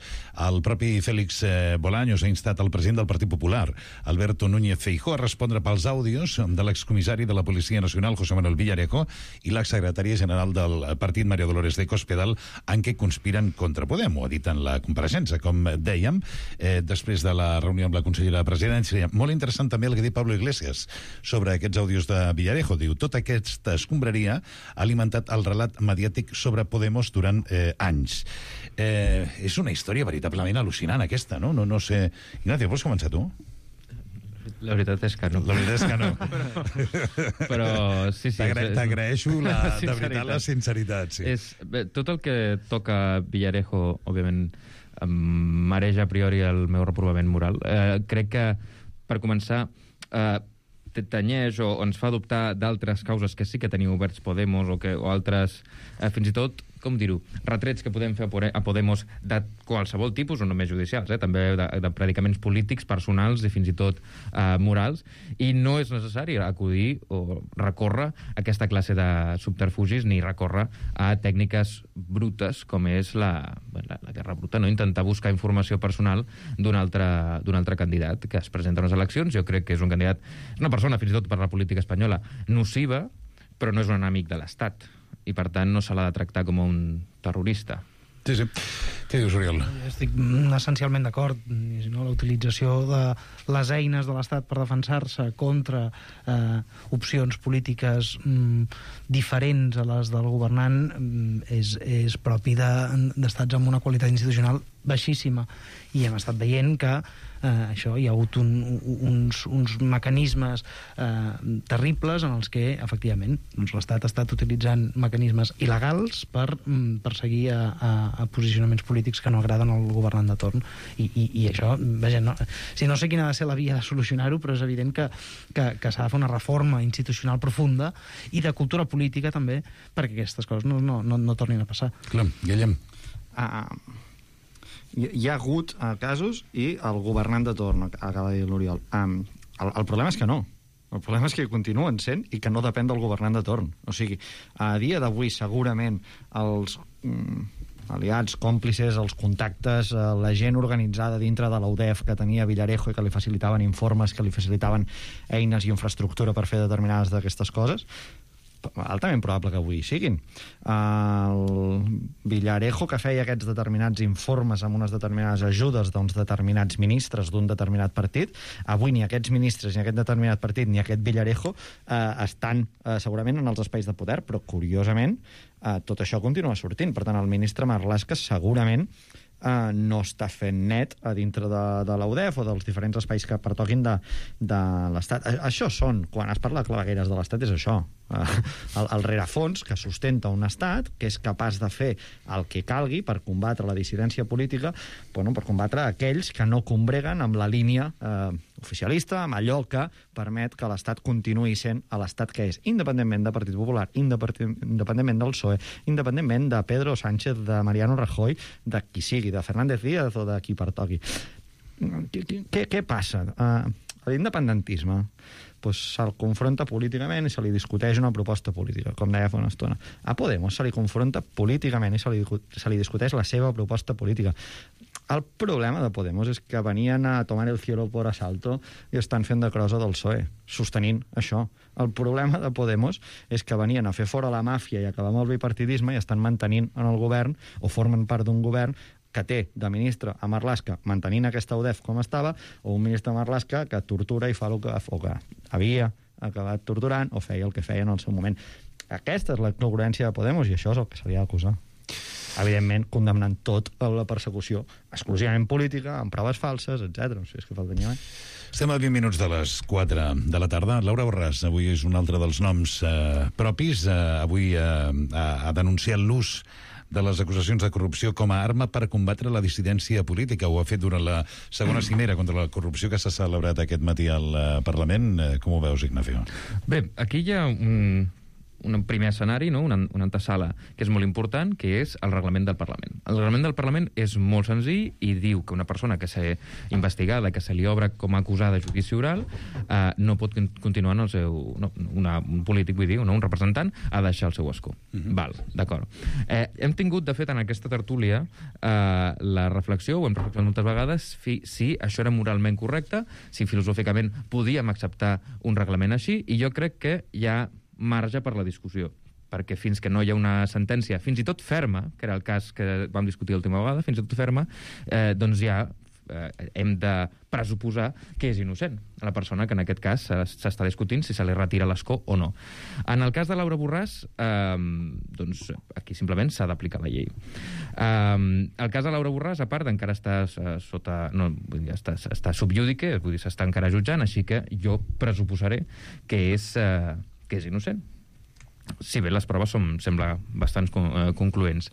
el propi Félix eh, Bolaños ha instat el president del Partit Popular, Alberto Núñez Feijóo, a respondre pels àudios de l'excomissari de la Policia Nacional, José Manuel Villarejo, i l'exsecretària general del partit, María Dolores de Cospedal, en què conspiren contra Podem. Ho ha dit en la compareixença, com dèiem, eh, després de la reunió amb la consellera de Presidència. Molt interessant també el que diu Pablo Iglesias sobre aquests àudios de Villarejo. Diu, tota aquesta escombraria ha alimentat el relat mediàtic sobre Podemos durant eh, anys. Eh, és una història veritablement al·lucinant, aquesta, no? No, no sé... Ignacio, vols començar tu? La veritat és que no. La veritat és que no. però, però sí, sí. T'agraeixo la, de veritat la sinceritat. Sí. És, bé, tot el que toca Villarejo, òbviament, em mareja a priori el meu reprovament moral. Eh, crec que, per començar, eh, tenyeix o ens fa adoptar d'altres causes que sí que teniu oberts Podemos o, que, o altres, eh, fins i tot, com dir-ho, retrets que podem fer a Podemos de qualsevol tipus, o només judicials, eh? també de, de predicaments polítics, personals i fins i tot eh, morals, i no és necessari acudir o recórrer a aquesta classe de subterfugis ni recórrer a tècniques brutes com és la, la, la guerra bruta, no? Intentar buscar informació personal d'un altre, d'un altre candidat que es presenta a les eleccions. Jo crec que és un candidat, una persona fins i tot per la política espanyola nociva, però no és un enemic de l'Estat, i per tant no se l'ha de tractar com un terrorista. Sí, sí. Què dius, Oriol? Estic essencialment d'acord. No? La utilització de les eines de l'Estat per defensar-se contra eh, opcions polítiques mm, diferents a les del governant mm, és, és propi d'estats de, amb una qualitat institucional baixíssima. I hem estat veient que eh, això hi ha hagut un, uns, uns mecanismes eh, terribles en els que, efectivament, doncs l'Estat ha estat utilitzant mecanismes il·legals per mm, perseguir a, a, a posicionaments polítics que no agraden al governant de torn. I, i, i això, vaja, no, si no sé quina ha de ser la via de solucionar-ho, però és evident que, que, que s'ha de fer una reforma institucional profunda i de cultura política també, perquè aquestes coses no, no, no, no tornin a passar. Clar, Guillem. Ah, hi ha hagut uh, casos i el governant de torn, acaba de dir l'Oriol. Um, el, el problema és que no. El problema és que continuen sent i que no depèn del governant de torn. O sigui, a dia d'avui segurament els mm, aliats, còmplices, els contactes, eh, la gent organitzada dintre de l'U D E F que tenia Villarejo i que li facilitaven informes, que li facilitaven eines i infraestructura per fer determinades d'aquestes coses, altament probable que avui siguin. El Villarejo, que feia aquests determinats informes amb unes determinades ajudes d'uns determinats ministres d'un determinat partit, avui ni aquests ministres, ni aquest determinat partit, ni aquest Villarejo eh, estan eh, segurament en els espais de poder, però curiosament eh, tot això continua sortint. Per tant, el ministre Marlaska segurament Uh, no està fent net a dintre de, de l'U D E F o dels diferents espais que pertoquin de, de l'Estat. A, això són, quan es parla de clavegueres de l'Estat, és això. Uh, el, el rerefons que sustenta un Estat que és capaç de fer el que calgui per combatre la dissidència política, bueno, per combatre aquells que no combreguen amb la línia uh, oficialista, amb allò que permet que l'Estat continuï sent l'Estat que és, independentment de Partit Popular, independentment del P S O E, independentment de Pedro Sánchez, de Mariano Rajoy, de qui sigui, de Fernández Díaz o de qui pertoqui. Què, què passa? Uh, l'independentisme pues, se'l confronta políticament i se li discuteix una proposta política, com deia fa una estona. A Podemos se li confronta políticament i se li, se li discuteix la seva proposta política. El problema de Podemos és que venien a tomar el cielo por asalto i estan fent de crosa del P S O E, sostenint això. El problema de Podemos és que venien a fer fora la màfia i acabar amb el bipartidisme i estan mantenint en el govern, o formen part d'un govern que té de ministre a Marlaska mantenint aquesta U D E F com estava, o un ministre a Marlaska que tortura i fa el que, o que havia acabat torturant o feia el que feia en el seu moment. Aquesta és la congruència de Podemos i això és el que se li ha d'acusar. Evidentment, condemnant tot a la persecució exclusivament política, amb proves falses, etcètera. O sigui, és que faltaria més. Estem a vint minuts de les quatre de la tarda. Laura Borràs, avui és un altre dels noms eh, propis. Eh, avui eh, ha, ha denunciat l'ús de les acusacions de corrupció com a arma per combatre la dissidència política. Ho ha fet durant la segona cimera contra la corrupció que s'ha celebrat aquest matí al uh, Parlament. Uh, com ho veus, Ignacio? Bé, aquí hi ha un, un primer escenari, no? una, una antesala, que és molt important, que és el reglament del Parlament. El reglament del Parlament és molt senzill i diu que una persona que s'ha investigada, que se li obre com a acusada de judici oral, eh, no pot continuar en el seu... No, una, un polític, vull dir, no, un representant, ha de deixar el seu escó. Mm-hmm. Val, d'acord. Eh, hem tingut, de fet, en aquesta tertúlia eh, la reflexió, ho hem reflexionat moltes vegades, fi, si això era moralment correcte, si filosòficament podíem acceptar un reglament així, i jo crec que hi ha marge per la discussió, perquè fins que no hi ha una sentència, fins i tot ferma, que era el cas que vam discutir l'última vegada, fins i tot ferma, eh, doncs ja eh, hem de pressuposar que és innocent la persona que en aquest cas s'està discutint si se li retira l'escó o no. En el cas de Laura Borràs, eh, doncs aquí simplement s'ha d'aplicar la llei. Eh, el cas de Laura Borràs, a part, encara està eh, sota... No, vull dir, està, està subjúdice, vull dir, s'està encara jutjant, així que jo pressuposaré que és... Eh, que és innocent. Si bé les proves són, sembla bastant eh, concloents.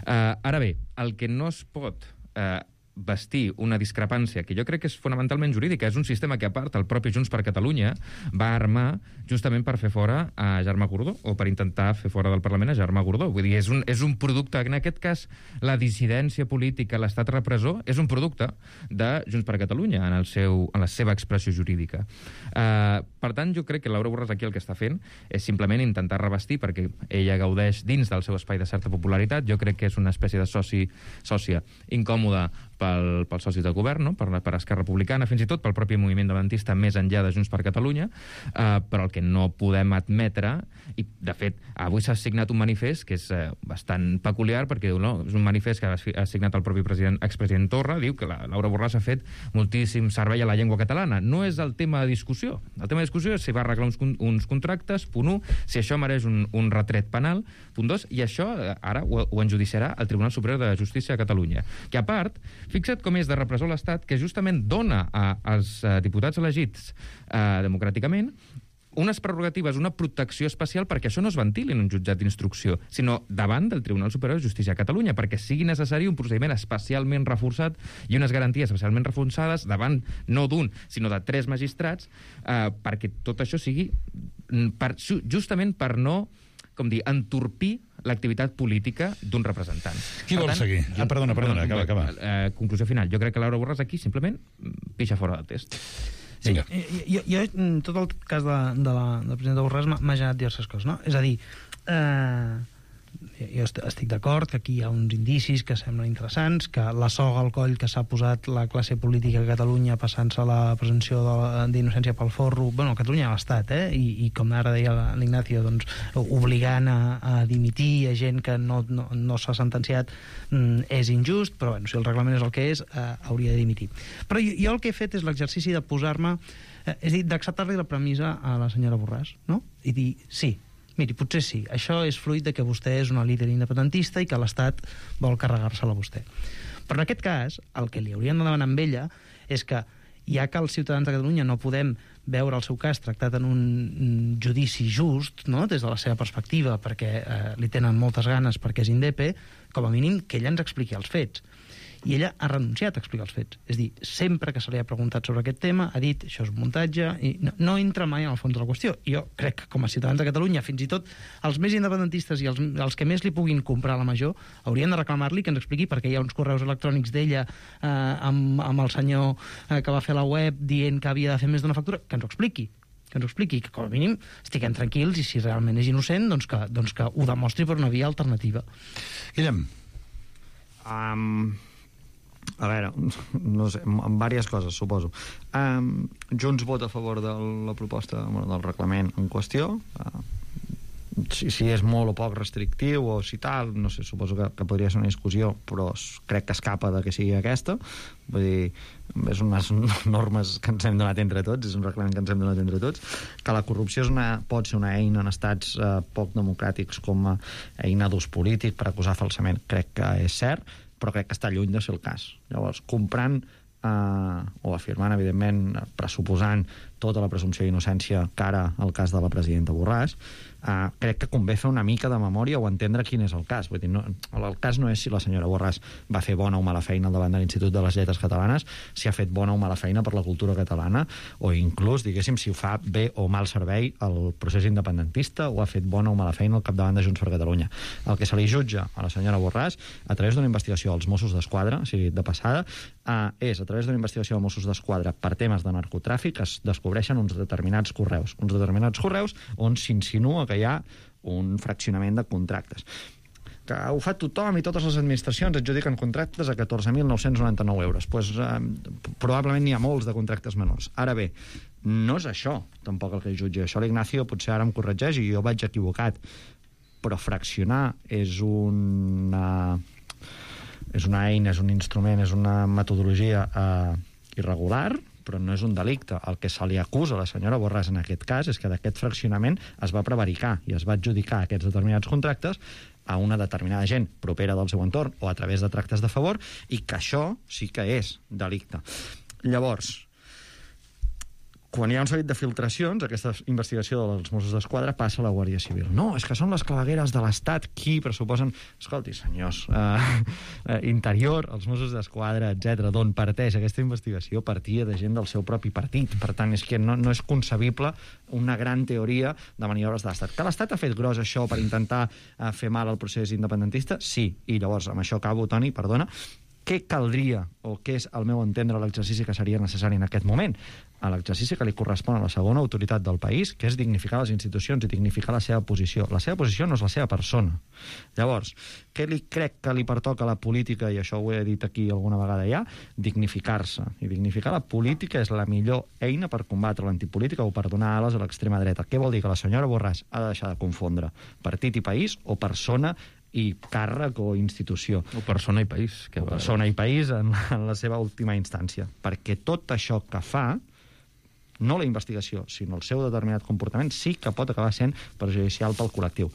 Eh, ara bé, el que no es pot eh, vestir una discrepància, que jo crec que és fonamentalment jurídica, és un sistema que, a part, el propi Junts per Catalunya va armar justament per fer fora a Germà Gordó, o per intentar fer fora del Parlament a Germà Gordó. Vull dir, és un, és un producte, en aquest cas, la dissidència política, l'estat repressor, és un producte de Junts per Catalunya, en, el seu, en la seva expressió jurídica. Uh, per tant, jo crec que Laura Borràs aquí el que està fent és simplement intentar revestir, perquè ella gaudeix dins del seu espai de certa popularitat, jo crec que és una espècie de soci, sòcia incòmoda pel, pels socis de govern, no? per, per Esquerra Republicana, fins i tot pel propi moviment independentista més enllà de Junts per Catalunya, eh, però el que no podem admetre, i de fet avui s'ha signat un manifest que és eh, bastant peculiar, perquè no, és un manifest que ha signat el propi president, expresident Torra, diu que la Laura Borràs ha fet moltíssim servei a la llengua catalana. No és el tema de discussió. El tema de discussió és si va arreglar uns, uns contractes, punt un, si això mereix un, un retret penal, punt dos, i això ara ho, ho enjudiciarà el Tribunal Superior de Justícia de Catalunya, que a part, fixa't com és de repressor l'Estat, que justament dona a, als uh, diputats elegits uh, democràticament unes prerrogatives, una protecció especial perquè això no es ventili en un jutjat d'instrucció, sinó davant del Tribunal Superior de Justícia de Catalunya, perquè sigui necessari un procediment especialment reforçat i unes garanties especialment reforçades davant no d'un, sinó de tres magistrats, eh, perquè tot això sigui per, justament per no, com dir, entorpir l'activitat política d'un representant. Qui vol tant, seguir? Jo, perdona, perdona, acaba, acaba. Eh, conclusió final. Jo crec que Laura Borràs aquí simplement pixa fora del test. Sí, jo, jo, tot el cas de, de la, del president de Borràs m'ha generat diverses coses, no? És a dir, eh, jo estic d'acord que aquí hi ha uns indicis que semblen interessants, que la soga al coll que s'ha posat la classe política a Catalunya passant-se la presumpció d'innocència pel forro, bueno, a Catalunya a l'Estat, eh? I, i com ara deia l'Ignacio, doncs, obligant a, a dimitir a gent que no, no, no s'ha sentenciat, mm, és injust, però bueno, si el reglament és el que és, eh, hauria de dimitir. Però jo, jo el que he fet és l'exercici de posar-me, eh, és a dir, d'acceptar-li la premissa a la senyora Borràs, no? I dir, sí, miri, potser sí, això és fruit de que vostè és una líder independentista i que l'Estat vol carregar-se-la a vostè. Però en aquest cas, el que li haurien de demanar amb ella és que, ja que els ciutadans de Catalunya no podem veure el seu cas tractat en un judici just, no?, des de la seva perspectiva, perquè eh, li tenen moltes ganes perquè és indepe, com a mínim que ella ens expliqui els fets. I ella ha renunciat a explicar els fets. És a dir, sempre que se li ha preguntat sobre aquest tema, ha dit, això és un muntatge, i no, no entra mai en el fons de la qüestió. I jo crec que, com a ciutadans de Catalunya, fins i tot els més independentistes i els, els que més li puguin comprar la major, haurien de reclamar-li que ens expliqui perquè hi ha uns correus electrònics d'ella eh, amb, amb el senyor eh, que va fer la web dient que havia de fer més d'una factura, que ens ho expliqui. que ens ho expliqui, que com a mínim estiguem tranquils i si realment és innocent, doncs que, doncs que ho demostri per una via alternativa. Guillem. Um... A veure, no sé, amb diverses coses, suposo. Um, Junts vota a favor de la proposta del reglament en qüestió. Uh, si, si és molt o poc restrictiu o si tal, no sé, suposo que, que podria ser una discussió, però crec que escapa de que sigui aquesta. Vull dir, és unes normes que ens hem donat entre tots, és un reglament que ens hem donat entre tots, que la corrupció és una, pot ser una eina en estats eh, poc democràtics com a eina d'ús polític per acusar falsament, crec que és cert, però crec que està lluny de ser el cas. Llavors, comprant eh, o afirmant, evidentment, pressuposant tota la presumpció d'innocència cara al cas de la presidenta Borràs, eh, crec que convé fer una mica de memòria o entendre quin és el cas. Vull dir, no, el cas no és si la senyora Borràs va fer bona o mala feina al davant de l'Institut de les Lletres Catalanes, si ha fet bona o mala feina per la cultura catalana, o inclús, diguéssim, si ho fa bé o mal servei al procés independentista o ha fet bona o mala feina al capdavant de Junts per Catalunya. El que se li jutja a la senyora Borràs a través d'una investigació als Mossos d'Esquadra, o sigui, de passada, eh, és a través d'una investigació als Mossos d'Esquadra per temes de narcotràfic es descobreixen uns determinats correus, uns determinats correus on s'insinua que hi ha un fraccionament de contractes. Que ho fa tothom i totes les administracions adjudiquen contractes a catorze mil nou-cents noranta-nou euros. Pues, eh, probablement n'hi ha molts de contractes menors. Ara bé, no és això tampoc el que jutja. Això l'Ignacio potser ara em corregeix i jo vaig equivocat, però fraccionar és una, és una eina, és un instrument, és una metodologia eh, irregular, però no és un delicte. El que se li acusa a la senyora Borràs en aquest cas és que d'aquest fraccionament es va prevaricar i es va adjudicar aquests determinats contractes a una determinada gent propera del seu entorn o a través de tractes de favor i que això sí que és delicte. Llavors, quan hi ha un seguit de filtracions, aquesta investigació dels Mossos d'Esquadra passa a la Guàrdia Civil. No, és que són les clavegueres de l'Estat qui pressuposen... Escolti, senyors, eh, Interior, els Mossos d'Esquadra, etcètera, d'on parteix aquesta investigació partia de gent del seu propi partit. Per tant, és que no, no és concebible una gran teoria de maniobres de l'Estat. Que l'Estat ha fet gros això per intentar eh, fer mal al procés independentista? Sí. I llavors, amb això acabo, Toni, perdona, què caldria, o què és, al meu entendre, l'exercici que seria necessari en aquest moment? A l'exercici que li correspon a la segona autoritat del país, que és dignificar les institucions i dignificar la seva posició. La seva posició no és la seva persona. Llavors, què li crec que li pertoca a la política, i això ho he dit aquí alguna vegada ja? Dignificar-se. I dignificar la política és la millor eina per combatre l'antipolítica o per donar ales a l'extrema dreta. Què vol dir? Que la senyora Borràs ha de deixar de confondre partit i país o persona i càrrec o institució. O persona i país. Que o persona i país en, en la seva última instància. Perquè tot això que fa, no la investigació, sinó el seu determinat comportament, sí que pot acabar sent perjudicial pel col·lectiu.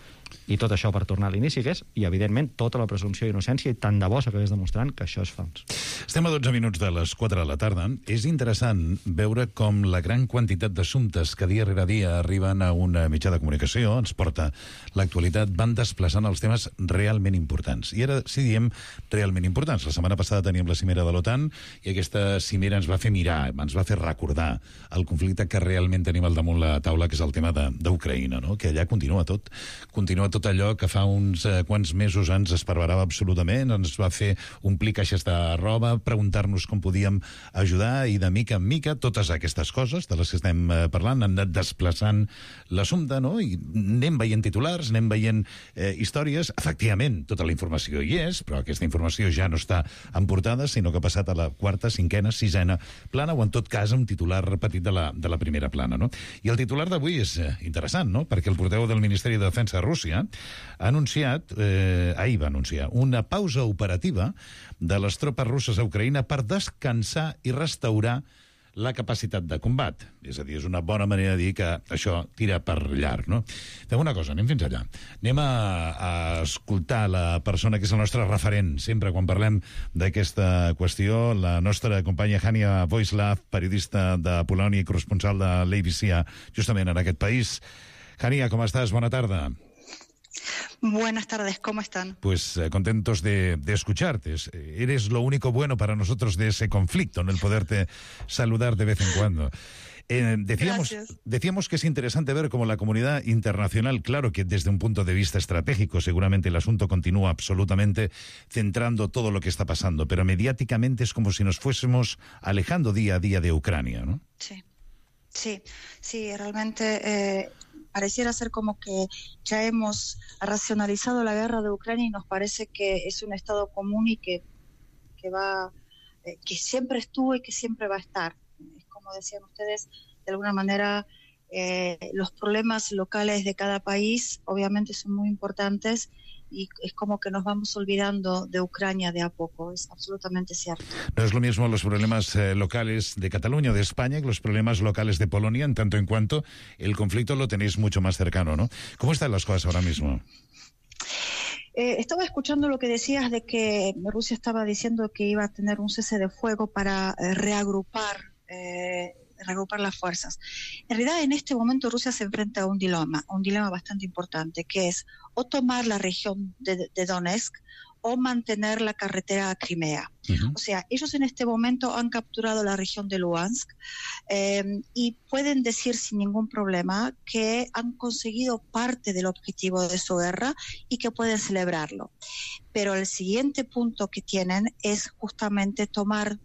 I tot això per tornar a l'inici, que és, i evidentment, tota la presumpció d'innocència, i tant de bo s'acabés demostrant que això és fals. Estem a dotze minuts de les quatre de la tarda. És interessant veure com la gran quantitat d'assumptes que dia rere dia arriben a una mitjà de comunicació, ens porta l'actualitat, van desplaçant els temes realment importants. I ara sí diem realment importants. La setmana passada teníem la cimera de l'OTAN i aquesta cimera ens va fer mirar, ens va fer recordar el conflicte que realment tenim al damunt la taula, que és el tema d'Ucraïna, no? Que allà continua tot. Continua tot allò que fa uns eh, quants mesos ens esparverava absolutament, ens va fer omplir caixes de roba, preguntar-nos com podíem ajudar, i de mica en mica totes aquestes coses de les que estem eh, parlant han anat desplaçant l'assumpte, no? I anem veient titulars, anem veient eh, històries. Efectivament, tota la informació hi és, però aquesta informació ja no està en portada, sinó que ha passat a la quarta, cinquena, sisena plana, o en tot cas un titular repetit de la, de la primera plana, no? I el titular d'avui és eh, interessant, no? Perquè el portaveu del Ministeri de Defensa de Rússia ha anunciat, eh, ahir va anunciar, una pausa operativa de les tropes russes a Ucraïna per descansar i restaurar la capacitat de combat. És a dir, és una bona manera de dir que això tira per llarg, no? Fem una cosa, anem fins allà. Anem a, a escoltar la persona que és el nostre referent sempre quan parlem d'aquesta qüestió, la nostra companya Hania Voislav, periodista de Polònia i corresponsal de l'A B C justament en aquest país. Hania, com estàs? Bona tarda. Buenas tardes, ¿cómo están? Pues eh, contentos de, de escucharte. Eres lo único bueno para nosotros de ese conflicto, en el poderte saludar de vez en cuando. Eh, decíamos, decíamos que es interesante ver cómo la comunidad internacional, claro que desde un punto de vista estratégico seguramente el asunto continúa absolutamente centrando todo lo que está pasando, pero mediáticamente es como si nos fuésemos alejando día a día de Ucrania, ¿no? Sí, sí, sí, realmente... Eh... Pareciera ser como que ya hemos racionalizado la guerra de Ucrania y nos parece que es un estado común y que, que va, eh, que siempre estuvo y que siempre va a estar. Es como decían ustedes, de alguna manera eh, los problemas locales de cada país obviamente son muy importantes y es como que nos vamos olvidando de Ucrania de a poco, es absolutamente cierto. No es lo mismo los problemas eh, locales de Cataluña o de España que los problemas locales de Polonia, en tanto en cuanto el conflicto lo tenéis mucho más cercano, ¿no? ¿Cómo están las cosas ahora mismo? Eh, estaba escuchando lo que decías de que Rusia estaba diciendo que iba a tener un cese de fuego para eh, reagrupar eh, reagrupar las fuerzas. En realidad, en este momento Rusia se enfrenta a un dilema, un dilema bastante importante, que es o tomar la región de, de Donetsk o mantener la carretera a Crimea. Uh-huh. O sea, ellos en este momento han capturado la región de Luhansk eh, y pueden decir sin ningún problema que han conseguido parte del objetivo de su guerra y que pueden celebrarlo. Pero el siguiente punto que tienen es justamente tomar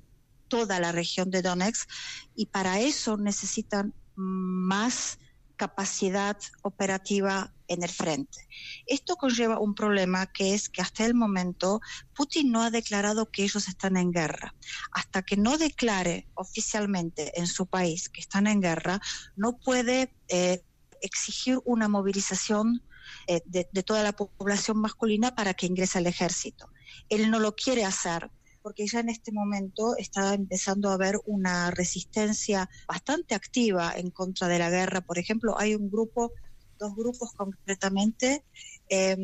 toda la región de Donetsk y para eso necesitan más capacidad operativa en el frente. Esto conlleva un problema que es que hasta el momento Putin no ha declarado que ellos están en guerra. Hasta que no declare oficialmente en su país que están en guerra, no puede eh, exigir una movilización eh, de, de toda la población masculina para que ingrese al ejército. Él no lo quiere hacer porque ya en este momento está empezando a haber una resistencia bastante activa en contra de la guerra. Por ejemplo, hay un grupo, dos grupos concretamente, eh,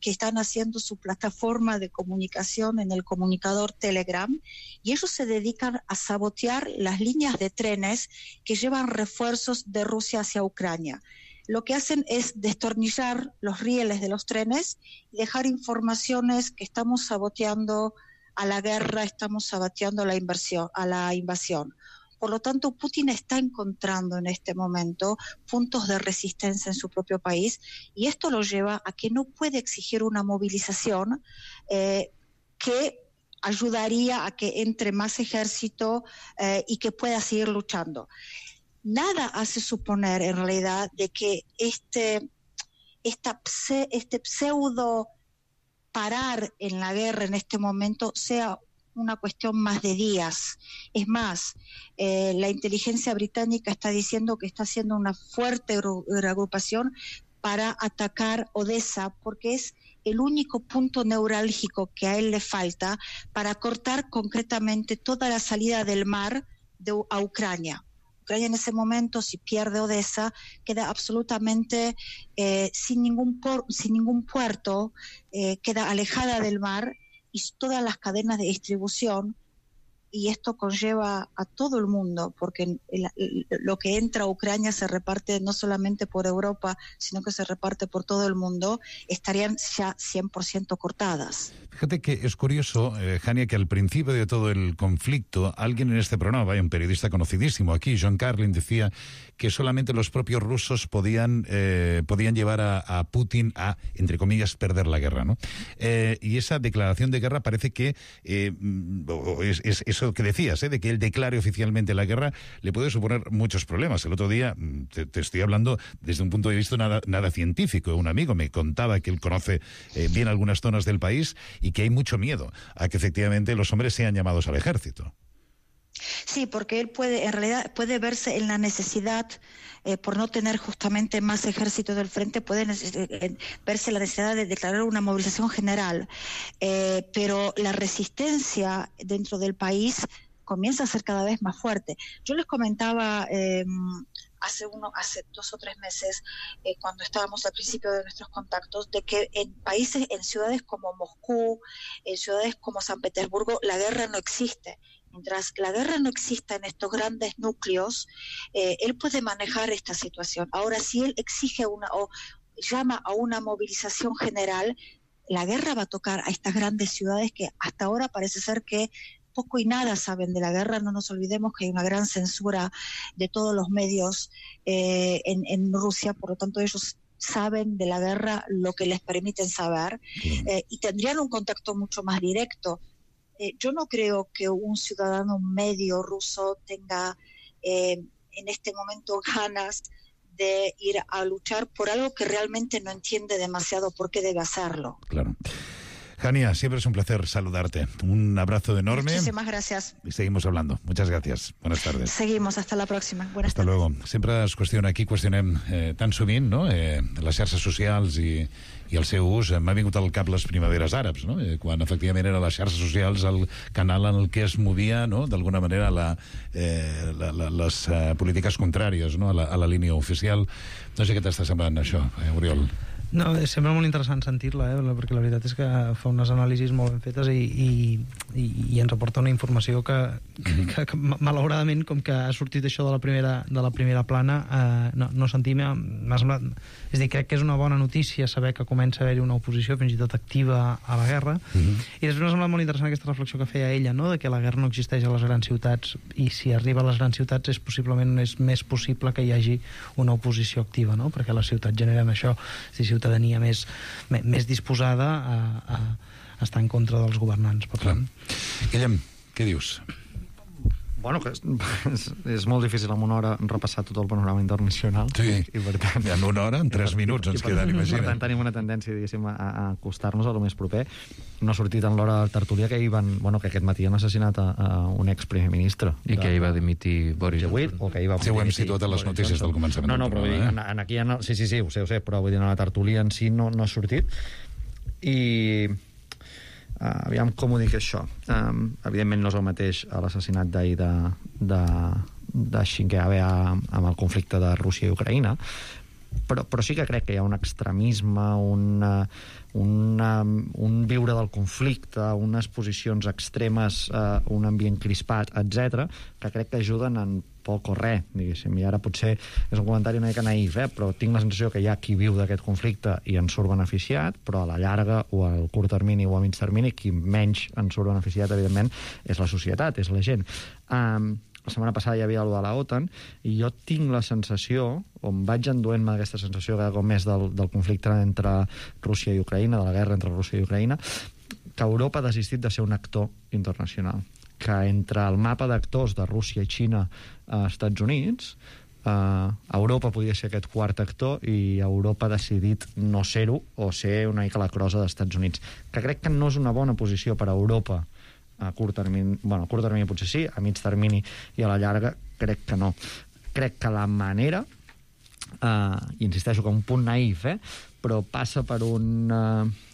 que están haciendo su plataforma de comunicación en el comunicador Telegram, y ellos se dedican a sabotear las líneas de trenes que llevan refuerzos de Rusia hacia Ucrania. Lo que hacen es destornillar los rieles de los trenes y dejar informaciones que estamos saboteando a la guerra, estamos saboteando a la inversión, a la invasión. Por lo tanto, Putin está encontrando en este momento puntos de resistencia en su propio país y esto lo lleva a que no puede exigir una movilización eh, que ayudaría a que entre más ejército eh, y que pueda seguir luchando. Nada hace suponer en realidad de que este, esta, este pseudo parar en la guerra en este momento sea una cuestión más de días. Es más, eh, la inteligencia británica está diciendo que está haciendo una fuerte reagrupación para atacar Odessa, porque es el único punto neurálgico que a él le falta para cortar concretamente toda la salida del mar de, a Ucrania. Ucrania en ese momento, si pierde Odessa, queda absolutamente eh, sin, ningún por, sin ningún puerto, eh, queda alejada del mar y todas las cadenas de distribución y esto conlleva a todo el mundo, porque el, el, lo que entra a Ucrania se reparte no solamente por Europa, sino que se reparte por todo el mundo, estarían ya cien por ciento cortadas. Fíjate que es curioso, eh, Jania, que al principio de todo el conflicto, alguien en este programa, vaya, un periodista conocidísimo aquí, John Carlin, decía que solamente los propios rusos podían, eh, podían llevar a, a Putin a, entre comillas, perder la guerra, ¿no? Eh, y esa declaración de guerra parece que eh, es, es eso que decías, ¿eh? de que él declare oficialmente la guerra, le puede suponer muchos problemas. El otro día, te, te estoy hablando desde un punto de vista nada, nada científico, un amigo me contaba que él conoce eh, bien algunas zonas del país y que hay mucho miedo a que efectivamente los hombres sean llamados al ejército. Sí, porque él puede, en realidad, puede verse en la necesidad, eh, por no tener justamente más ejército del frente, puede eh, verse la necesidad de declarar una movilización general. Eh, pero la resistencia dentro del país comienza a ser cada vez más fuerte. Yo les comentaba eh, hace uno, hace dos o tres meses, eh, cuando estábamos al principio de nuestros contactos, de que en países, en ciudades como Moscú, en ciudades como San Petersburgo, la guerra no existe. Mientras la guerra no exista en estos grandes núcleos, eh, él puede manejar esta situación. Ahora, si él exige una o llama a una movilización general, la guerra va a tocar a estas grandes ciudades que hasta ahora parece ser que poco y nada saben de la guerra. No nos olvidemos que hay una gran censura de todos los medios eh, en, en Rusia, por lo tanto ellos saben de la guerra lo que les permiten saber, eh, y tendrían un contacto mucho más directo. Eh, yo no creo que un ciudadano medio ruso tenga eh, en este momento ganas de ir a luchar por algo que realmente no entiende demasiado por qué debe hacerlo. Claro. Jania, siempre es un placer saludarte. Un abrazo enorme. Muchísimas gracias. Y seguimos hablando. Muchas gracias. Buenas tardes. Seguimos. Hasta la próxima. Buenas Hasta tardes. luego. Sempre es qüestiona, aquí qüestionem eh, tan sovint, no?, eh, les xarxes socials i, i el seu ús. M'ha vingut al cap les primaveres àrabs, no?, eh, quan efectivament eren les xarxes socials el canal en el que es movia, no?, d'alguna manera la, eh, la, la, les eh, polítiques contràries, no?, a la, a la línia oficial. No sé què t'està semblant això, eh, Oriol. No, sembla molt interessant sentir-la, eh? perquè la veritat és que fa unes anàlisis molt ben fetes i, i, i, i ens aporta una informació que, que, que malauradament, com que ha sortit això de la primera, de la primera plana, eh, no, no sentim. M'ha semblat, és a dir, crec que és una bona notícia saber que comença a haver-hi una oposició fins i tot activa a la guerra. Uh-huh. I després m'ha semblat molt interessant aquesta reflexió que feia ella, no?, de que la guerra no existeix a les grans ciutats, i si arriba a les grans ciutats és possiblement és més possible que hi hagi una oposició activa, no?, perquè les ciutats generen això, si ciutadania més, més disposada a, a, a estar en contra dels governants. Per tant. Guillem, què dius? Bueno, que és, és, és molt difícil en una hora repassar tot el panorama internacional. Sí, i per tant, en una hora, en tres minuts ens queden, imagina't. Per tant, tenim una tendència, diguéssim, a, a acostar-nos a lo més proper. No ha sortit en l'hora de tertúlia que, van, bueno, que aquest matí han assassinat a, a un ex-primer ministre. I de, que hi va dimitir Boris Johnson. O que hi va sí, ho hem situat a les notícies del començament. No, no, però vull dir, en, en aquí ja no, sí, sí, sí, ho sé, ho sé, però vull dir, en la tertúlia en si no, no ha sortit. I... Uh, aviam com ho dic això, um, evidentment no és el mateix l'assassinat d'ahir de, de, de Shinkeabe amb el conflicte de Rússia i Ucraïna, però, però sí que crec que hi ha un extremisme, un, un, un viure del conflicte, unes posicions extremes, uh, un ambient crispat, etcètera, que crec que ajuden en poc o res, diguéssim. I ara potser és un comentari una mica naïf, eh? però tinc la sensació que hi ha qui viu d'aquest conflicte i en surt beneficiat, però a la llarga o al curt termini o a mig termini qui menys en surt beneficiat, evidentment, és la societat, és la gent. Um, la setmana passada hi havia allò de la OTAN i jo tinc la sensació, o em vaig enduent-me d'aquesta sensació cada cop més del, del conflicte entre Rússia i Ucraïna, de la guerra entre Rússia i Ucraïna, que Europa ha desistit de ser un actor internacional, que entre el mapa d'actors de Rússia i Xina a Estats Units, eh, Europa podia ser aquest quart actor i Europa ha decidit no ser-ho o ser una mica la crosa dels Estats Units, que crec que no és una bona posició per a Europa a curt termini, bueno, a curt termini potser sí, a mig termini i a la llarga crec que no. Crec que la manera, eh, i insisteixo que un punt naïf, eh, però passa per un... Eh,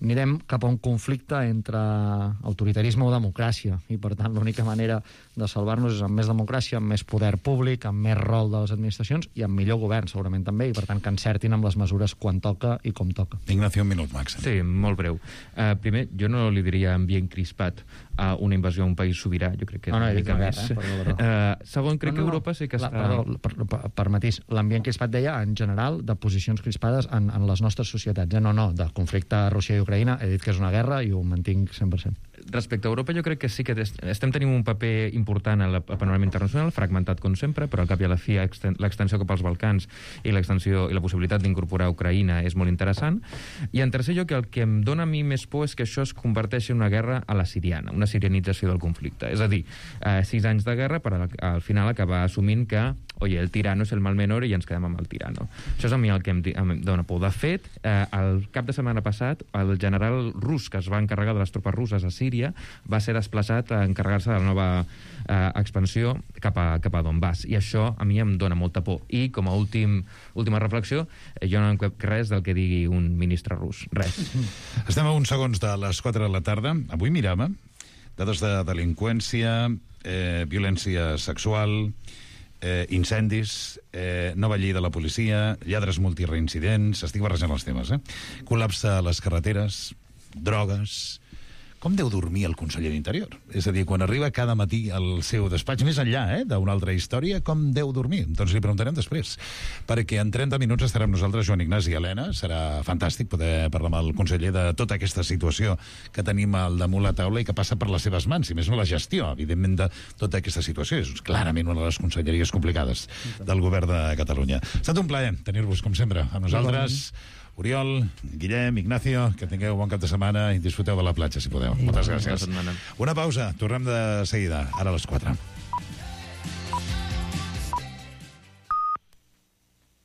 anirem cap a un conflicte entre autoritarisme o democràcia, i per tant l'única manera de salvar-nos és amb més democràcia, amb més poder públic, amb més rol de les administracions i amb millor govern, segurament també, i per tant que encertin amb les mesures quan toca i com toca. Ignacio, un minut màxim. Sí, molt breu. Uh, primer, jo no li diria ambient crispat a una invasió a un país sobirà, jo crec que és no, no, una mica més. Guerra, eh? perdó, perdó. Uh, segon, crec no, no, que Europa sí que la, està... Perdó, per, per, per matís, l'ambient crispat deia en general de posicions crispades en, en les nostres societats. Eh? No, no, de conflicte a Rússia i Ucraïna, he dit que és una guerra i ho mantinc cent per cent. Respecte a Europa, jo crec que sí que estem tenint un paper important al panorama internacional, fragmentat com sempre, però al cap i a la fi l'extensió cap als Balcans i l'extensió i la possibilitat d'incorporar Ucraïna és molt interessant. I en tercer lloc, el que em dona a mi més por és que això es converteixi en una guerra a la siriana, una sirianització del conflicte. És a dir, eh, sis anys de guerra per al final acabar assumint que oye, el tirano és el mal menor i ens quedem amb el tirano. Això és a mi el que em, em dona por. De fet, eh, el cap de setmana passat, el general rus que es va encarregar de les tropes russes a Síria va ser desplaçat a encarregar-se de la nova eh, expansió cap a, cap a Donbass. I això a mi em dona molta por. I com a últim, última reflexió, eh, jo no em crec res del que digui un ministre rus. Res. Estem a uns segons de les quatre de la tarda. Avui miràvem dades de delinqüència, eh, violència sexual, Eh, incendis, eh, nova llei de la policia, lladres multireincidents, estic barrejant els temes, eh? Col·lapse a les carreteres, drogues... Com deu dormir el conseller d'Interior? És a dir, quan arriba cada matí al seu despatx, més enllà eh, d'una altra història, com deu dormir? Doncs li preguntarem després, perquè en trenta minuts estarà amb nosaltres Joan Ignasi i Helena. Serà fantàstic poder parlar amb el conseller de tota aquesta situació que tenim al damunt la taula i que passa per les seves mans, i més no la gestió, evidentment, de tota aquesta situació. És clarament una de les conselleries complicades del govern de Catalunya. Ha estat un plaer tenir-vos, com sempre, a nosaltres. Oriol, Guillem, Ignacio, que tingueu bon cap de setmana i disfruteu de la platja, si podeu. Moltes gràcies. Una pausa, tornem de seguida, ara a les quatre.